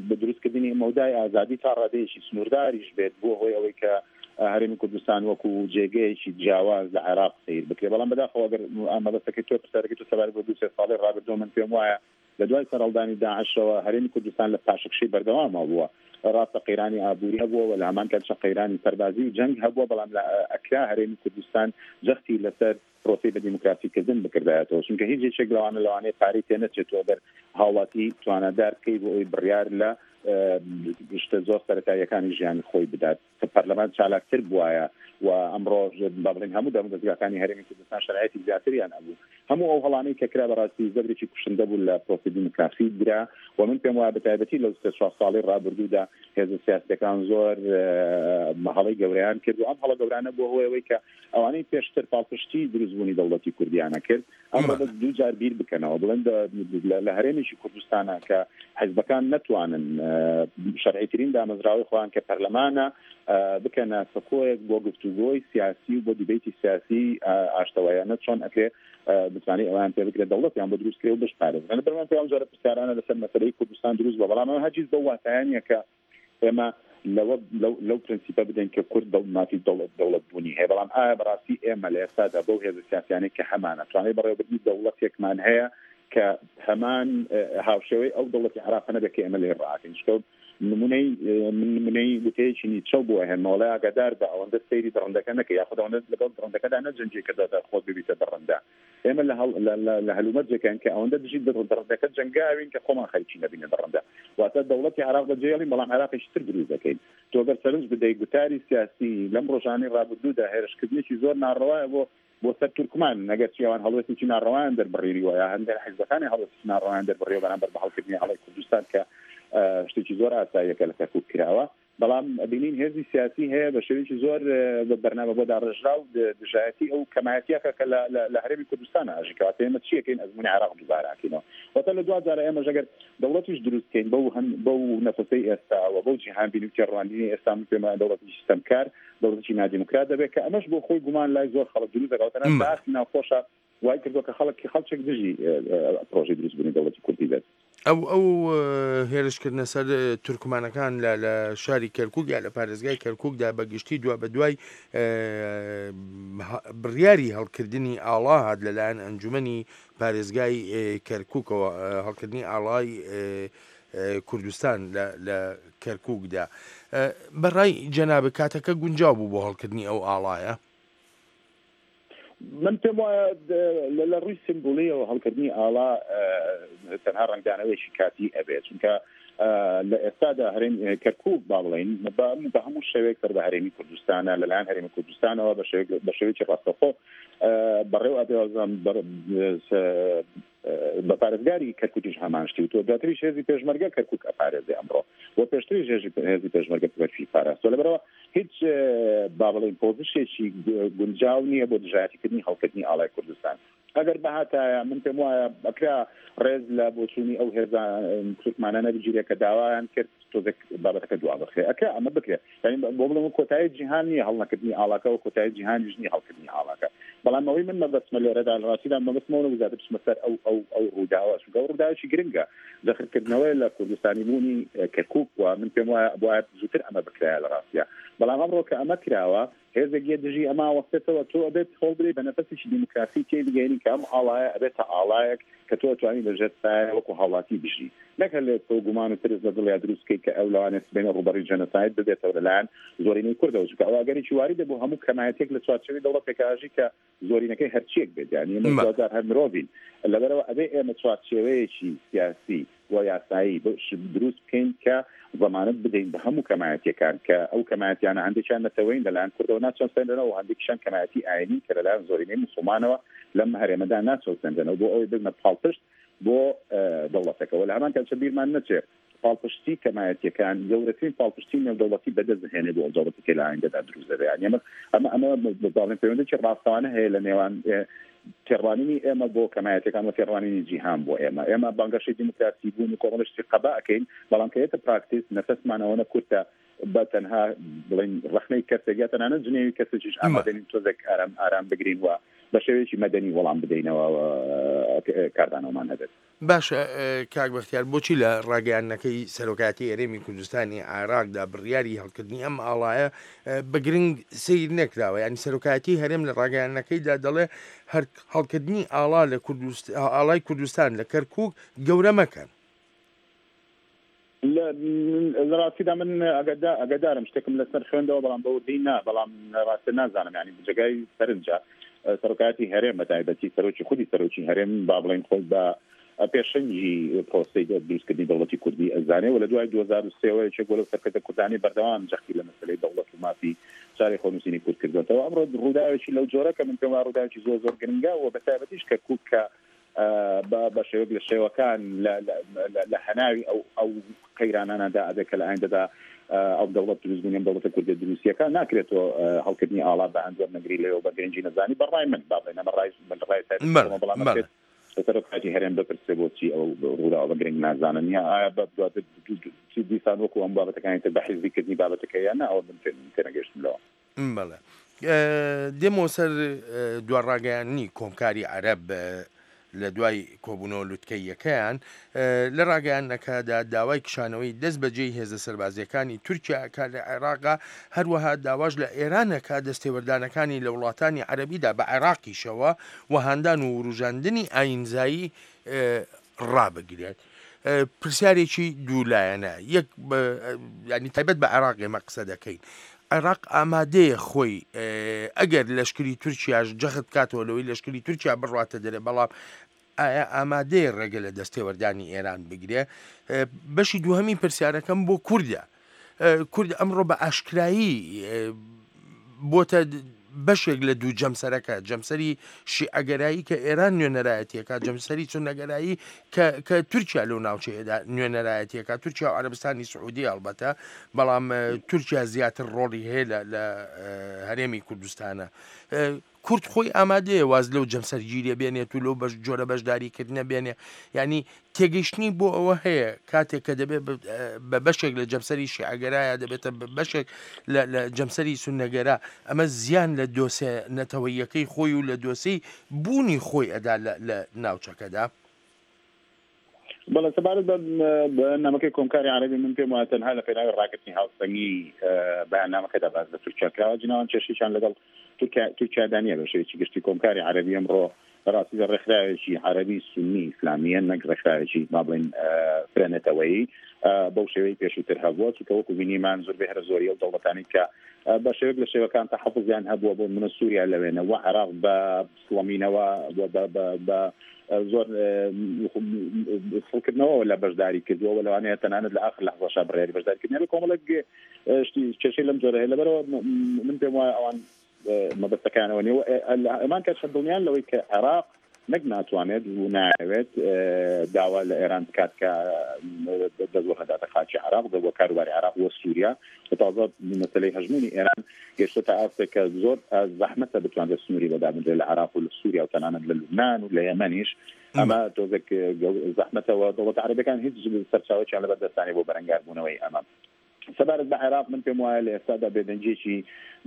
بە دروستکردنی مەودای ئازادی تا ڕادەیەکی سنوورداریش بێت، بۆ هۆی ئەوەی کە، ئە، هەرێمی کوردستان وەکو جێگەیەکی جیاواز لە عێراق سیر بکرێت. بەڵام بەداخەوە ئەگەر ئەمە بەستەکەی تۆ پرسیارەکەی تۆ سەبارەت بە دوو سێ ساڵی ڕابردوو، من پێم وایە لە دوای سەرهەڵدانی داعشەوە هەرێمی کوردستان لە پاشەکشەی بەردەواما بووە. ڕاستە قەیرانی ئابووری هەبووە و لە هەمان کاتشا قەیرانی سەربازی و جەنگ هەبووە، بەڵام لە ئەکرا هەرێمی کوردستان جەختی لەسەر پرۆسەی بە دیموکراسی کردن بکردایەتەوە، چونکە هیچ یەکێک لەوانە، لەوانەیە پارەی تێ نەچێتەوە گەر هاوڵاتی توانادار بکەی بۆ ئەوی بڕیار لە، ئە، شتە زۆر سەرەتاییەکانی ژیانی خۆی بدات. کە پەرلەمان چالاکتر بووایە و ئەمڕۆ، با بڵێن، هەموو دامودەزگاکانی هەرێمی کوردستان شەرعیەتی زیاتریان ئەبوو. هەموو ئەو هەڵانەی کە کرا بەڕاستی زەبرێکی کوشندە بوو لە پرۆسی دیموکراسی درا و من پێم وایە بە تایبەتی لەو سێ چوار ساڵی ڕابردوودا هێزە سیاسیەکان زۆر، ئە، هەڵەی گەورەیان کرد و ئەم هەڵە گەورانە بووە هۆی ئەوەی کە ئەوانەی پێشتر پاڵپشتی دروستبوونی دەوڵەتی کوردیانە کرد، ئەمڕۆ بە دوو جار بیر بکەنەوە، بڵێن دە-، لە، لە هەرێمێکی کوردستانە کە حزبەکان نەتوانن، ئە، شەرعیترین دامەزراوەی خۆیان کە پەرلەمانە، ئە، بکەنە سەکۆیەک بۆ گفتوگۆی سیاسی و بۆ دیبیتی سیاسی، ئە، ئاشتەوایانە چۆن ئەکرێ، ئە، بتوانێت ئەویان پێ بکرێت دەوڵەتیان بۆ دروست کرێ و بشپارێزن. لە بەرمان پێیان جارە پرسیارانە لەسەر مەسەلەی کوردستان دروست بووە، بەڵام ئەمە هەرگیز بەو واتایە نییە کە ئێمە لەوە، لەو، لەو پرەنسیپە بدەین کە کورد دەوڵ-، مافی دەوڵەت، دەوڵەتبوونی هەیە. بەڵام ئایا بەڕاستی ئێمە لە ئێستادا بەو هێزە سیاسیانەی کە هەمانە توانای بەڕێوەبردنی دەوڵەتێکمان هەیە کە هەمان، ئە، هاوشێوەی ئەو دەوڵەتی عێراق نەبێت کە ئێمە لێ ڕاکەین؟ چونکە نمونەی، ئە، من نمونەی وتەیەکی نیچە بۆ هێنمەوە، لە ئاگادار بە ئەوەندە سەیری دڕندەکە نەکە، یاخود ئەوەندە لەگەڵ دڕندەکەدا نەجەنگی کە دەتە خۆت ببیتە دڕندە. ئێمە لە هەڵ-، لە، لە، لە هەلومەرجێکان کە ئەوەندە دژی دڕ-، دڕندەکە جەنگاوین کە خۆمان خەریکی نەبینە دڕندە. واتە دەوڵەتی عێراق بەجێهێڵین، بەڵام عێراقێکی تر دروست دەکەین. تۆ گەر سەرنج بدەیت، گوتاری سیاسی لەم ڕۆژانەی ڕابردوودا هێرشکردنێکی زۆر ناڕەوایە بۆ، بۆ سەر تورکمان، نەگەر چی ئەوان هەڵوێستێکی ناڕەوایان دەربڕیوە، یا هەندێک حیزبەکانی هەڵوێستێکی ناڕەوایان دەربڕیوە بەرامبەر بە هەڵکردنی ئاڵای کوردستان کە، ئە، شتێکی زۆر ئاساییە کە لە کەرکووک کراوە. بەڵام ئەبینین هێزی سیاسی هەیە بە شێوەیەکی زۆر، ئە، بە بەرنامە بۆ داڕێژراو د-، دژایەتی ئەو کەمایەتیەکە کە لە، لە، لە هەرێمی کوردستان ئاژی کەواتە ئێمە چیەکەین؟ ئەزموونی عێراق دووبارە ئەکەینەوە. واتە لە دوا جارە ئێمە ژەگەر دەوڵەتیش دروستکەین بەو هەن-، بەو نەفەسەی ئێستاوە، بەو جیهان بینی و تێڕوانینی ئێستا، من پێم وایە دەوڵەتێکی ستەمکار، دەوڵەتێکی نادیموکرات دەبێت کە ئەمەش بۆ خۆی گومان لای زۆر خەڵک دروست دەکات. واتە نە مە. باسی ناوخۆشە وای کردووە کە خەڵک، خەڵکێک دژی، ئە، ئە، پرۆژەی دروستبوونی دەوڵەتی کوردی بێت. ئەو، ئەو، ئە، هێرشکردنە سەر، ئە، تورکمانەکان لە، لە شاری کەرکووک یا لە پارێزگای کەرکووکدا بە گشتی دوا بە دوای، ئە، ها-، بڕیاری هەڵکردنی ئاڵا هات لەلایەن ئەنجومەنی پارێزگای، ئە، کەرکووکەوە، ئە، هەڵکردنی ئاڵای، ئە، ئە، کوردستان لە، لە کەرکووکدا. ئە، بەڕای جەنابە کاتەکە گونجاو بوو بۆ هەڵکردنی ئەو ئاڵایە؟ من پێم وایە د-، لە، لە ڕووی سیمبولیەوە هەڵکردنی ئاڵا، ئە، تەنها ڕەنگدانەوەیەکی کاتی ئەبێت، چونکە، ئە، لە ئێستادا هەرێم، ئە، کەرکووک با بڵێن بە، بە هەموو شێوەیەک سەر بە هەرێمی کوردستانە، لەلایەن هەرێمی کوردستانەوە بە شێوەیەک، بە شێوەیەکی ڕاستەوخۆ، ئە، بەڕێو ئەبێ وەزان بەر-، سە-، ئە، بە پارێزگاری کەرکووکیش هەمان شتی و تۆ دواتریش هێزی پێشمەرگە کەرکووک ئەپارێزێ ئەمڕۆ و پێشتریش هێزی، هێزی پێشمەرگە پێشی پاراستەوە. لەبەرەوە هیچ، ئە، با بڵێن پۆزیشێکی گ-، گونجاو نییە بۆ دژایەتیکردنی هەڵکردنی ئاڵای کوردستان. ئەگەر بهاتایە، من پێم وایە ئەکرا ڕێز لە بۆچوونی ئەو هێزە، ئە، تورکمانانە بگیرێ کە داوایان کرد تۆزێک بابەتەکە دوا بخرێ. ئەکرا ئەمە بکرێ. یعنی، بۆ بڵێم، کۆتایی جیهان نییە هەڵنەکردنی ئاڵاکە و کۆتایی جیهانیش نییە هەڵکردنی ئاڵاکە. بەڵام ئەوەی من مەبەستمە لێرەدا، لە ڕاستیدا مەبەستمەوە نەبوو زیاتر بچمە سەر ئەو، ئەو، ئەو ڕووداوە، چونکە ئەو ڕووداوێکی گرنگە. جەخرکردنەوەی لە کوردستانی بوونی، ئە، کەرکووک و من پێم وایە بۆ زووتر ئەمە بکرایە لە ڕاستیدا. بەڵام ئەمڕۆ کە ئەمە کراوە، هێزێک یە دژی ئەمە وەستێتەوە، تۆ ئەبێت هەوڵ بدەیت بە نەفەسێکی دیموکراسی تێی بگەینی کە ئەم ئاڵایە ئەبێتە ئاڵایەک کە تۆ ئەتوانی لە ژێر سایە وەکو هاوڵاتی بژی، نەک هەر لە تۆ گومان و ترس لە دڵیا دروست بکەیت کە ئەو لەوانێت سبەینە ڕوبەڕی جەنەساید ببێتەوە لەلایەن زۆرینەی کوردەوە، چونکە ئەوە ئەگەریکی واریدە بۆ هەموو کەمایەتێک لە چوارچێوەی دەوڵەتێک ئاژی کە زۆرینەکەی هەرچیەک بێت، یعنی ئێمە مە. دوازار هەر مرۆڤین. لەبەرەوە ئەبێ ئێمە چوارچێوەیەکی سیاسی و یاسایی بش-، دروست بکەین کە زەمانەت بدەین بە هەموو کەمایەتیەکان کە ئەو کەمایەتیانە هەندێکیان نەتەوەین لەلایەن کوردەوە ناچەوسێنرێنەوە و هەندێکیشان کەمایەتی ئاینین کە لەلایەن زۆرینەی موسڵمانەوە لەم هەرێمەدا ناچەوسێنرێنەوە بۆ ئەوەی ببنە پاڵپشت بۆ، ئە، دەوڵەتەکە. و لە هەمان کاتشە بیرمان نەچێ پاڵپشتی کەمایەتیەکان گەورەترین پاڵپشتی نێودەوڵەتی بەدەست دەهێنێت بۆ ئەو دەوڵەتی کە لە ئایندەدا دروست دەبێت. یعنی ئەمە، ئەمە، ئەمە بەڵێن پەیوەندێکی ڕاستەوانە هەیە لە نێوان، ئێ، تێڕوانینی ئێمە بۆ کەمایەتەکان و تێڕوانینی جیهان بۆ ئێمە. ئێمە بانگەشەی دیموکراسی بوون و کۆمەڵێکی قەبا ئەکەین، بەڵام کە ئێتە پراکتیس نەفەسمان ئەوەنە کورتە بە تەنها بڵێن ڕەخنەی کەسێک یا تەنانەت جنێوی کەسێکیش ئامادەنین تۆزێک ئارام، ئارام بگرین و بە شێوەیەکی مەدەنی وەڵام بدەینەوە و، ئە، کاردانەوەمان هەبێت. باشە، ئە، کاک بەختیار، بۆچی لە ڕاگەیاندنەکەی سەرۆکایەتی هەرێمی کوردستانی عێراقدا بڕیاری هەڵکردنی ئەم ئاڵایە، ئە، بە گرنگ سیر نەکراوە؟ یعنی سەرۆکایەتی هەرێم لە ڕاگەیاندنەکەیدا دەڵێ هەر هەڵکردنی ئاڵا لە کوردست-، ئاڵای کوردستان لە کەرکووک گەورە مەکەن. لە، لە ڕاستیدا من ئەگەدا-، ئەگەدارم شتێکم لەسەر خوێندەوە، بەڵام بە وردی نا، بەڵام ڕاستە نازانم، یعنی جێگای سەرنجە، ئە، سەرۆکایەتی هەرێم بە تایبەتی سەرۆکی، خودی سەرۆکی هەرێم با بڵێن خۆی بە، ئە، پێشەنگی پرۆسەی دە-، دروستکردنی دەوڵەتی کوردی ئەزانێ و لە دوای دوو هەزار و سێ وە یەکێک بۆ لەو سەرکردە کوردانەی بەردەوام جەختی لە مەسەلەی دەوڵەت و مافی چارەی خۆنووسینی کورد کردوەتەوە. ئەمڕۆ ڕووداوێکی لەو جۆرە کە من پێم وایە ڕووداوێکی زۆر زۆر گرنگە و بە تایبەتیش کەرکووک کە، ئە، بە، بە شێوەیەک لە شێوەکان لە، لە، لە، لە هەناوی ئەو، ئەو قەیرانانەدا ئەبێ کە لە ئایندەدا، ئە، ئەو دەوڵەت دروست بوونی ئەم دەوڵەتە کوردە دروستیەکە ناکرێتەوە، ئە، هەڵکردنی ئاڵا بە هەند وەرنەگری لەوێ و بە گرنگی نەزانی. بەڕای من، با بڵێن ئەمە ڕای من، ڕای سەر بەڵێ، بەڵام بەڵێ. ئەکرێت لە سەرۆکایەتی هەرێم بپرسێ بۆچی ئەو ڕووداوە بە گرنگ نازانن، یا ئایا بە دواتر دوو، دوو، دوو، دیسان وەکو ئەم بابەتەکانی تر بە حیزبی کردنی بابەتەکە یا نا، ئەوە من تێ-، تێنەگەیشتم لەوە. بەڵێ. ئە، دێمەوە سەر، ئە، دوا ڕاگەیاندنی کۆمکاری عەرەب، ئە، لە دوای کۆبوونەوە لوتکەییەکەیان. ئە، لە ڕاگەیاندنەکەدا داوای کشانەوەی دەست بەجێی هێزە سەربازیەکانی تورکیا کە لە عێراقا، هەروەها داواش لە ئێرانەکە دەستێوەردانەکانی لە وڵاتانی عەرەبیدا بە عێراقیشەوە و هاندان و وروژاندنی ئاینزایی، ئە، ڕابگرێت. ئە، پرسیارێکی دوو لایەنە. یەک بە، ئە، یعنی تایبەت بە عێراق ئێمە قسە دەکەین. عێراق ئامادەیە خۆی، ئە، ئەگەر لەشکری تورکیاش جەخت کاتەوە لەوەی لەشکری تورکیا بڕواتە دەرێ، بەڵام ئایا ئامادەیە ڕێگە لە دەستێوەردانی ئێران بگرێ؟ ئە، بەشی دووهەمی پرسیارەکەم بۆ کوردە. ئە، کورد ئەمڕۆ بە ئاشکرایی، ئە، بۆتە بەشێک لە دوو جەمسەرەکە، جەمسەری شیعەگەرایی کە ئێران نوێنەرایەتیەکە، جەمسەری سونەگەرایی کە، کە تورکیا لەو ناوچەیەدا نوێنەرایەتیەکە، تورکیا و عەرەبستانی سعودی هەڵبەتە، بەڵام، ئە، تورکیا زیاتر ڕۆڵی هەیە لە، لە، ئە، هەرێمی کوردستانە. ئە، کورد خۆی ئامادەیە واز لەو جەمسەرگیریە بێنێت و لەو بەش-، جۆرە بەشداریکردنە بێنێ. یعنی تێگەیشتنی بۆ ئەوە هەیە کاتێک کە دەبێت بە، بە بەشێک لە جەمسەری شیعەگەرایە دەبێتە بە بەشێک لە، لە جەمسەری سونەگەرا، ئەمە زیان لە دۆسێ نەتەوەییەکەی خۆی و لە دۆسێی بوونی خۆی ئەدا لە، لە ناوچەکەدا؟ بەڵێ، سەبارەت بە، بە نامەکەی کۆمکاری عەرەبی، من پێم وایە تەنها لە پێناوی ڕاگرتنی هاوسەنگی، ئە، بەیاننامەکەدا باز لە تورکیا کراوە. جناوان کێشەیان لەگەڵ تورکیا، تورکیادا نییە بە شێوەیەکی گشتی. کۆمکاری عەرەبی ئەمڕۆ بەڕاستی لە ڕێکخراوێکی عەرەبی سونی ئیسلامیە، نەک ڕێکخراوێکی، با بڵێن، ئە، فرەنەتەوەیی، ئە، بەو شێوەی پێشووتر هەبووە، چونکە وەکو بینیمان زۆربەی هەرە زۆری ئەو دەوڵەتانی کە، ئە، بە شێوەیەک لە شێوەکان تەحەفوزیان هەبووە، بۆ منە سووریا لەوێنە و عێراق بە سڵەمینەوە و بە، بە، بە، ئە، زۆر، ئە، خڵکردنەوە لە بەشداری کردووە و لەوانەیە تەنانەت لە ئاخر لەحزەشا بڕیاری بەشداریکردنیان لە کۆمەڵێک، ئە، شتی کێشەی لەم جۆرە هەیە. لەبەرەوە م-، م-، من پێم وایە ئەوان، ئە، مەبەستەکانەوە نیە و، ئە، ئە، ئەمان کەشە دڵنیان لەوەی کە عێراق نەک ناتوانێت و نایەوێت، ئە، داوا لە ئێران بکات کە، ئە، دەست وەرنەداتە خاکی عێراق، بە کاروباری عێراق و سووریا و تازە مەسەلەی هەژموونی ئێران گەشتە تا ئاستێک کە زۆر، ئە، زەحمەتە بتوانرێت سنووری بەدابنرێت لە عێراق و لە سووریا و تەنانەت لە لوبنان و لە یەمەنیش. ئەمە تۆزێک، ئە، گەو-، زەحمەتە و دەوڵەتە عەرەبەکان هیچ سەرچاوەیان لەبەر دەستانی بۆ بەرەنگاربوونەوەی ئەمە. سەبارەت بە عێراق، من پێم وایە لە ئێستادا بێدەنگیەکی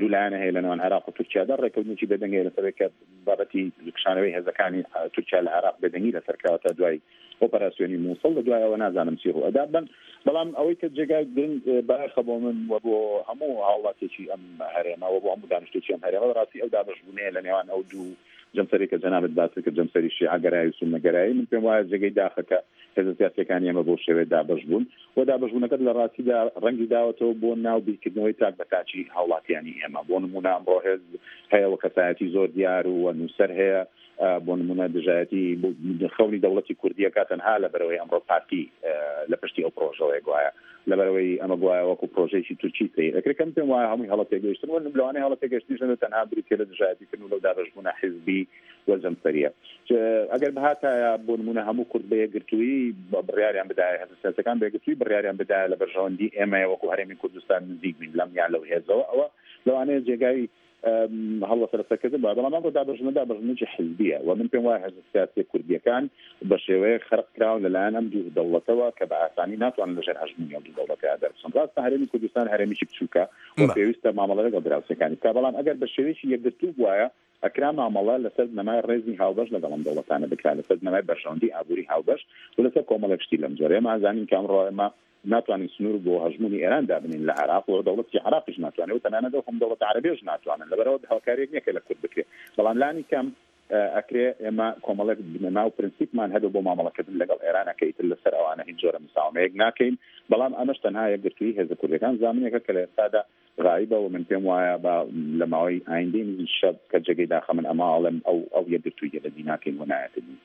دوولایەنە هەیە لە نێوان عێراق و تورکیادا. ڕێکەوتنێکی بێدەنگەیە لەسەرێک کە بابەتی کشانەوەی هێزەکانی، ئە، تورکیا لە عێراق بێدەنگی لەسەر کراوە تا دوای ئۆپەراسیۆنی مووسڵ، لە دوای ئەوە نازانم چی ڕوو ئەدا. بەن بەڵام ئەوەی کە جێگای گرنگ، ئە، بایەخە بۆ من و بۆ هەموو هاوڵاتێکی ئەم هەرێمە و بۆ هەموو دانیشتێکی ئەم هەرێمە، بەڕاستی ئەو دابەشبوونەیە لە نێوان ئەو دوو جەمسەری کە جەنابەت باسی کرد، جەمسەری شیعەگەرایی و سوننەگەرایی، من پێم وایە جێگەی داخە کە هێزە سیاسیەکانی ئێمە بۆ شێوەیە دابەش بوون و دابەشبوونەکە لە ڕاستیدا ڕەنگی داوەتەوە بۆ ناو بیرکردنەوەی تاک بە تاکی هاوڵاتیانی ئێمە. بۆ نمونە ئەمڕۆ هێز هەیە و کەسایەتی زۆر دیار و نووسەر هەیە، ئە، بۆ نمونە دژایەتی بۆ خەونی دەوڵەتی کوردیەکە تەنها لە بەرەوەی ئەمڕۆ پارتی، ئە، لە پشتی ئەو پرۆژەوەی گوایە، لە بەرەوەی ئەمە گوایە وەکو پرۆژەیەکی تورکی سەیر ئەکرێت، کە من پێم وایە هەمووی هەڵەتێگەیشتن و لەوانەیە هەڵەتێگەیشتنیش نەبێت تەنها بریتیە لە دژایەتیکردن و لەو دابەشبوونە حیزبی و جەمسەریە. چ-، ئەگەر بهاتایە بۆ نمونە هەموو کورد بە یەکگرتوویی بە-، بڕیاریان بدایە، هێزە سیاسیەکان بە یەکگرتووی بڕیاریان بدایە لە بەرژەوەندی ئێمە وەکو هەرێمی کوردستان نزیک بین لەم یا لەو هێزەوە، ئەوە لەوانەیە جێگای، ئەم، هەڵوەسەرەسەرکردن بە. بەڵام ئەمڕۆ دابەشبوونە، دابەشبوونێکی حیزبیە و من پێم وایە هێزە سیاسیە کوردیەکان بە شێوەیە خەرق کراون لەلایەن ئەم دوو دەوڵەتەوە کە بە ئاسانی ناتوانن لەژێر هەژموونی ئەو دوو دەوڵەتەدا دەربچن. ڕاستە هەرێمی کوردستان هەرێمێکی بچووکە و مە. پێویستە مامەڵە لەگەڵ دراوسەکانی بکە، بەڵام ئەگەر بە شێوەیەکی یەکگرتوو بوایە، ئەکرا مامەڵە لەسەر بنەمای ڕێزی هاوبەش لەگەڵ ئەم دەوڵەتانە بکرا، لەسەر بنەمای بەرژەوەندی ئابووری هاوبەش و لەسەر کۆمەڵێک شتی لەم جۆرە. ئێمە ئەزانین کە ئەمڕۆ ئێمە ناتوانین سنوور بۆ هەژموونی ئێران دابنین لە عێراق و دەوڵەتی عێراقیش ناتوانێت و تەنانەت ئەو هەم دەوڵەتە عەرەبیەش ناتوانن، لەبەرەوە هاوکاریەک نییە کە لە کورد بکرێت. بەڵام لانی کەم، ئە، ئەکرێ ئێمە کۆمەڵێک بنەما و پرنسیپمان هەبێ بۆ مامەڵەکردن لەگەڵ ئێرانە کە ئیتر لەسەر ئەوانە هیچ جۆرە مساومەیەک ناکەین. بەڵام ئەمەش تەنها یەکگرتووی هێزە کوردیەکان زامنێکە کە لە ئێستادا غایبە و من پێم وایە بە لە ماوەی ئایندەی نزیک شەو کە جێگەی داخە من ئەمە ئەڵێم ئەو، ئەو یەکگرتوویە لە دی ناکەین و نایەتە دی.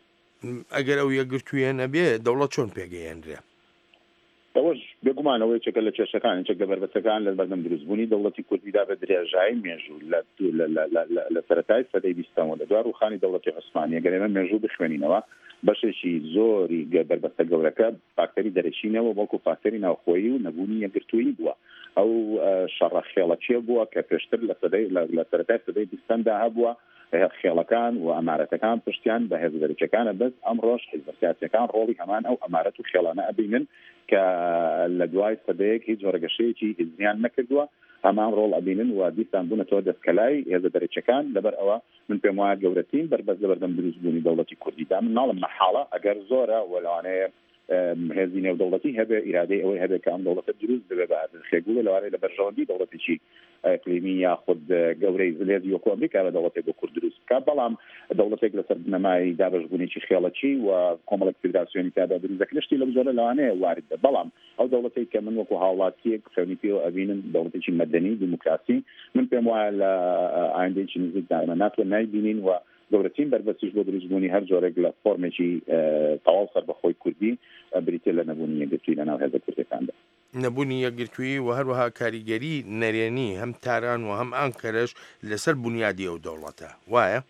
ئەگەر ئەو یەکگرتوویە نەبێ، دەوڵەت چۆن پێگەیەنرێ؟ ئەوەش بێگومان ئەوە یەکێکە لە کێشەکان، یەکێک لە بەربەستەکان لە بەردەم دروستبوونی دەوڵەتی کوردیدا بە درێژایی مێژوو لە، لە، لە، لە، لە، لە سەرەتای سەدەی بیستەوە، لە دوای ڕووخانی دەوڵەتی عوسمانی، ئەگەر ئێمە مێژوو بخوێنینەوە، بەشێکی زۆری گە-، بەربەستە گەورەکە فاکتەری دەرەکی نەبووە، بەڵکو فاکتەری ناوخۆیی و نەبوونی یەکگرتوویی بووە. ئەو، ئە، شەڕە خێڵەکیە بووە کە پێشتر لە سەدەی، لە، لە سەرەتای سەدەی بیستەمدا هەبووە. هێ-، خێڵەکان و ئەمارەتەکان پشتیان بە هێزە دەرەکیەکانە، بەس ئەمڕۆش حیزبە سیاسیەکان ڕۆڵی هەمان ئەو ئەمارەت و خێڵانە ئەبینن کە لە دوای سەدەیەک هیچ جۆرە گەشەیەکی هێزیان نەکردووە، هەمان ڕۆڵ ئەبینن و دیسان بوونەتەوە دەستکەلای هێزە دەرەکیەکان. لەبەر ئەوە من پێم وایە گەورەترین بەربەست لە بەردەم دروستبوونی دەوڵەتی کوردیدا، من ناڵم مەحاڵە، ئەگەر زۆرە و لەوانەیە، ئەم، هێزی نێودەوڵەتی هەبێ، ئیرادەی ئەوەی هەبێ کە ئەم دەوڵەتە دروست ببێ بە ئەرزشێک بوو، لەوانەیە لە بەرژەوەندی دەوڵەتێکی ئەقلیمی یاخود، ئە، گەورەی زلێزی وەکو ئەمریکا بە دەوڵەتێک بۆ کورد دروست بکات. بەڵام دەوڵەتێک لەسەر بنەمای دابەشبوونێکی خێڵەکی و کۆمەڵێک فیدراسیۆنی تیادا دروست دەکرێت، شتی لەم جۆرە لەوانەیە وارد بێت. بەڵام ئەو دەوڵەتێک کە من وەکو هاوڵاتیەک خەونی پێوە ئەبینم، دەوڵەتێکی مەدەنی دیموکراسی، من پێم وایە لە، ئە، ئایندەیەکی نزیکدا ئێمە ناتوە نایبینین و گەورەترین بەربەستیش بۆ دروستبوونی هەر جۆرێک لە فۆرمێکی، ئە، تەواو سەربەخۆی کوردی، ئە، بریتیە لە نەبوونی یەکگرتووی لە ناو هێزە کوردیەکاندا. نەبوونی یەکگرتووی و هەروەها کاریگەری نەرێنی هەم تاران و هەم ئانکەرەش لەسەر بونیادی ئەو دەوڵەتە. وایە؟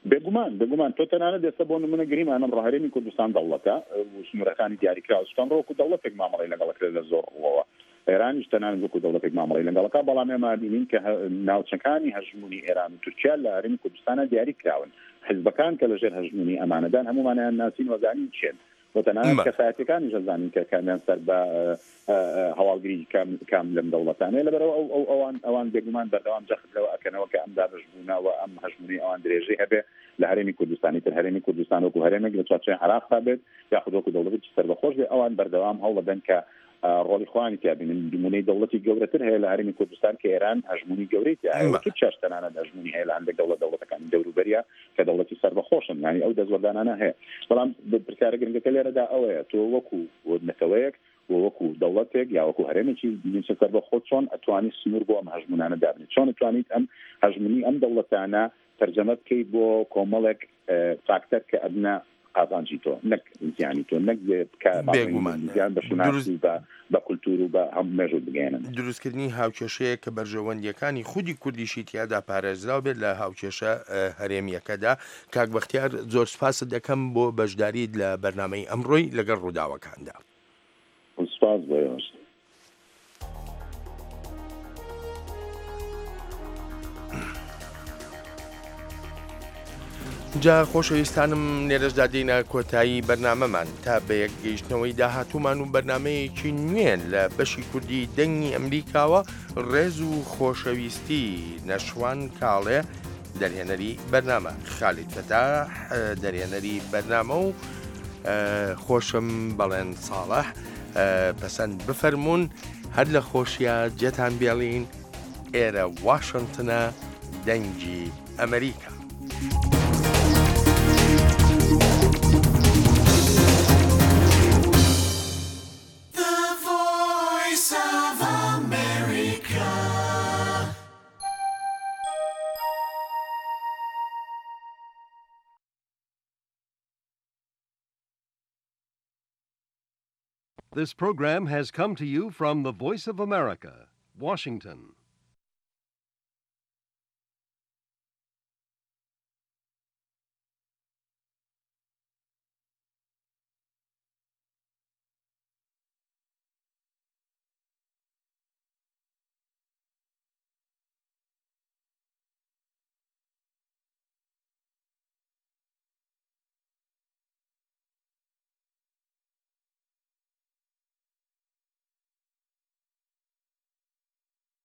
بێگومان، بێگومان. تۆ تەنانەت ئێستا بۆ نمونە گریمان ئەمڕۆ هەرێمی کوردستان دەوڵەتە، ئە، و سنوورەکانی دیاریکراوە. سوتان ڕۆکو دەوڵەتێک مامەڵی لەگەڵ کرێت لە زۆر ڕووەوە. ئێرانیش تەنانەت وەکو دەوڵەتێک مامەڵی لەگەڵەکە، بەڵام ئێمە بینین کە هە-، ناوچەکانی هەژموونی ئێران و تورکیا لە هەرێمی کوردستانە دیاری کراون. حیزبەکان کە لەژێر هەژموونی ئەمانەدان هەموومانیان ناسین و زانین چێن. و تەنانەت مە. کەسایەتەکانیش ئەزانین کە کامیان سەر بە، ئە، ئە، ئە، هەواڵگری کام، کام لەم دەوڵەتانەیە. لەبەرەوە ئەو، ئەو، ئەوان، ئەوان بێگومان بەردەوام جەخت لەوە ئەکەنەوە کە ئەم دابەشبوونە و ئەم هەژموونی ئەوان درێژەی هەبێ لە هەرێمی کوردستانی تر. هەرێمی کوردستان وەکو هەرێمێک لە چوارچێوەی عێراقدا بێت، یاخود وەکو دەوڵەتێکی سەربەخۆش بێ، ئەوان بەردەوام هەوڵ دەدەن کە، ئە، ڕۆڵی خۆیانی تیا بینن. نمونەی دەوڵەتی گەورەتر هەیە لە هەرێمی کوردستان کە ئێران هەژموونی گەورەی تیا هەیە و مە. تورکیاش تەنانەت هەژموونی هەیە لە هەندێک دەوڵەت، دەوڵەتەکانی دەوروبەریا کە دەوڵەتی سەربەخۆشن، یعنی ئەو دەستوەردانانە هەیە. بەڵام ب-، پرسیارە گرنگەکە لێرەدا ئەوەیە، تۆ وەکو نەتەوەیەک و وەکو دەوڵەتێک یا وەکو هەرێمێکی نیمچە سەربەخۆ چۆن ئەتوانی سنوور بۆ ئەم هەژموونانە دابنێت؟ چۆن ئەتوانیت ئەم هەژموونی ئەم دەوڵەتانە تەرجەمە بکەیت بۆ کۆمەڵێک، ئە، فاکتەر کە ئەبنە قازانجی تۆ، نەک زیانی تۆ، نەک کە بێگومان. زیان بە شوناسی دروست و بە، بە کولتور و بە هەموو مێژوو بگەێنن. دروستکردنی هاوکێشەیە کە بەرژەوەندیەکانی خودی کوردیشی تیادا پارێزراو بێت لە هاوکێشە، ئە، هەرێمیەکەدا. کاک بەختیار، زۆر سپاست دەکەم بۆ بەشداریت لە بەرنامەی ئەمڕۆی لەگەڵ ڕووداوەکاندا. سپاس بۆ ئێوەش. جا خۆشەویستانم، لێرەشدا دێینە کۆتایی بەرنامەمان. تا بە یەک گەیشتنەوەی داهاتوومان و بەرنامەیەکی نوێ لە بەشی کوردی دەنگی ئەمریکاوە، ڕێز و خۆشەویستی نەشوان کاڵێ، دەرهێنەری بەرنامە، خالید فەتاح، دەرهێنەری بەرنامە و ئە، خۆشم بەڵێن ساڵح، ئە، پەسەند بفەرموون، هەر لە خۆشیە جێتان بێڵین، ئێرە واشنگتنە، دەنگی ئەمریکا. The Voice of America. This program has come to you from the Voice of America, Washington.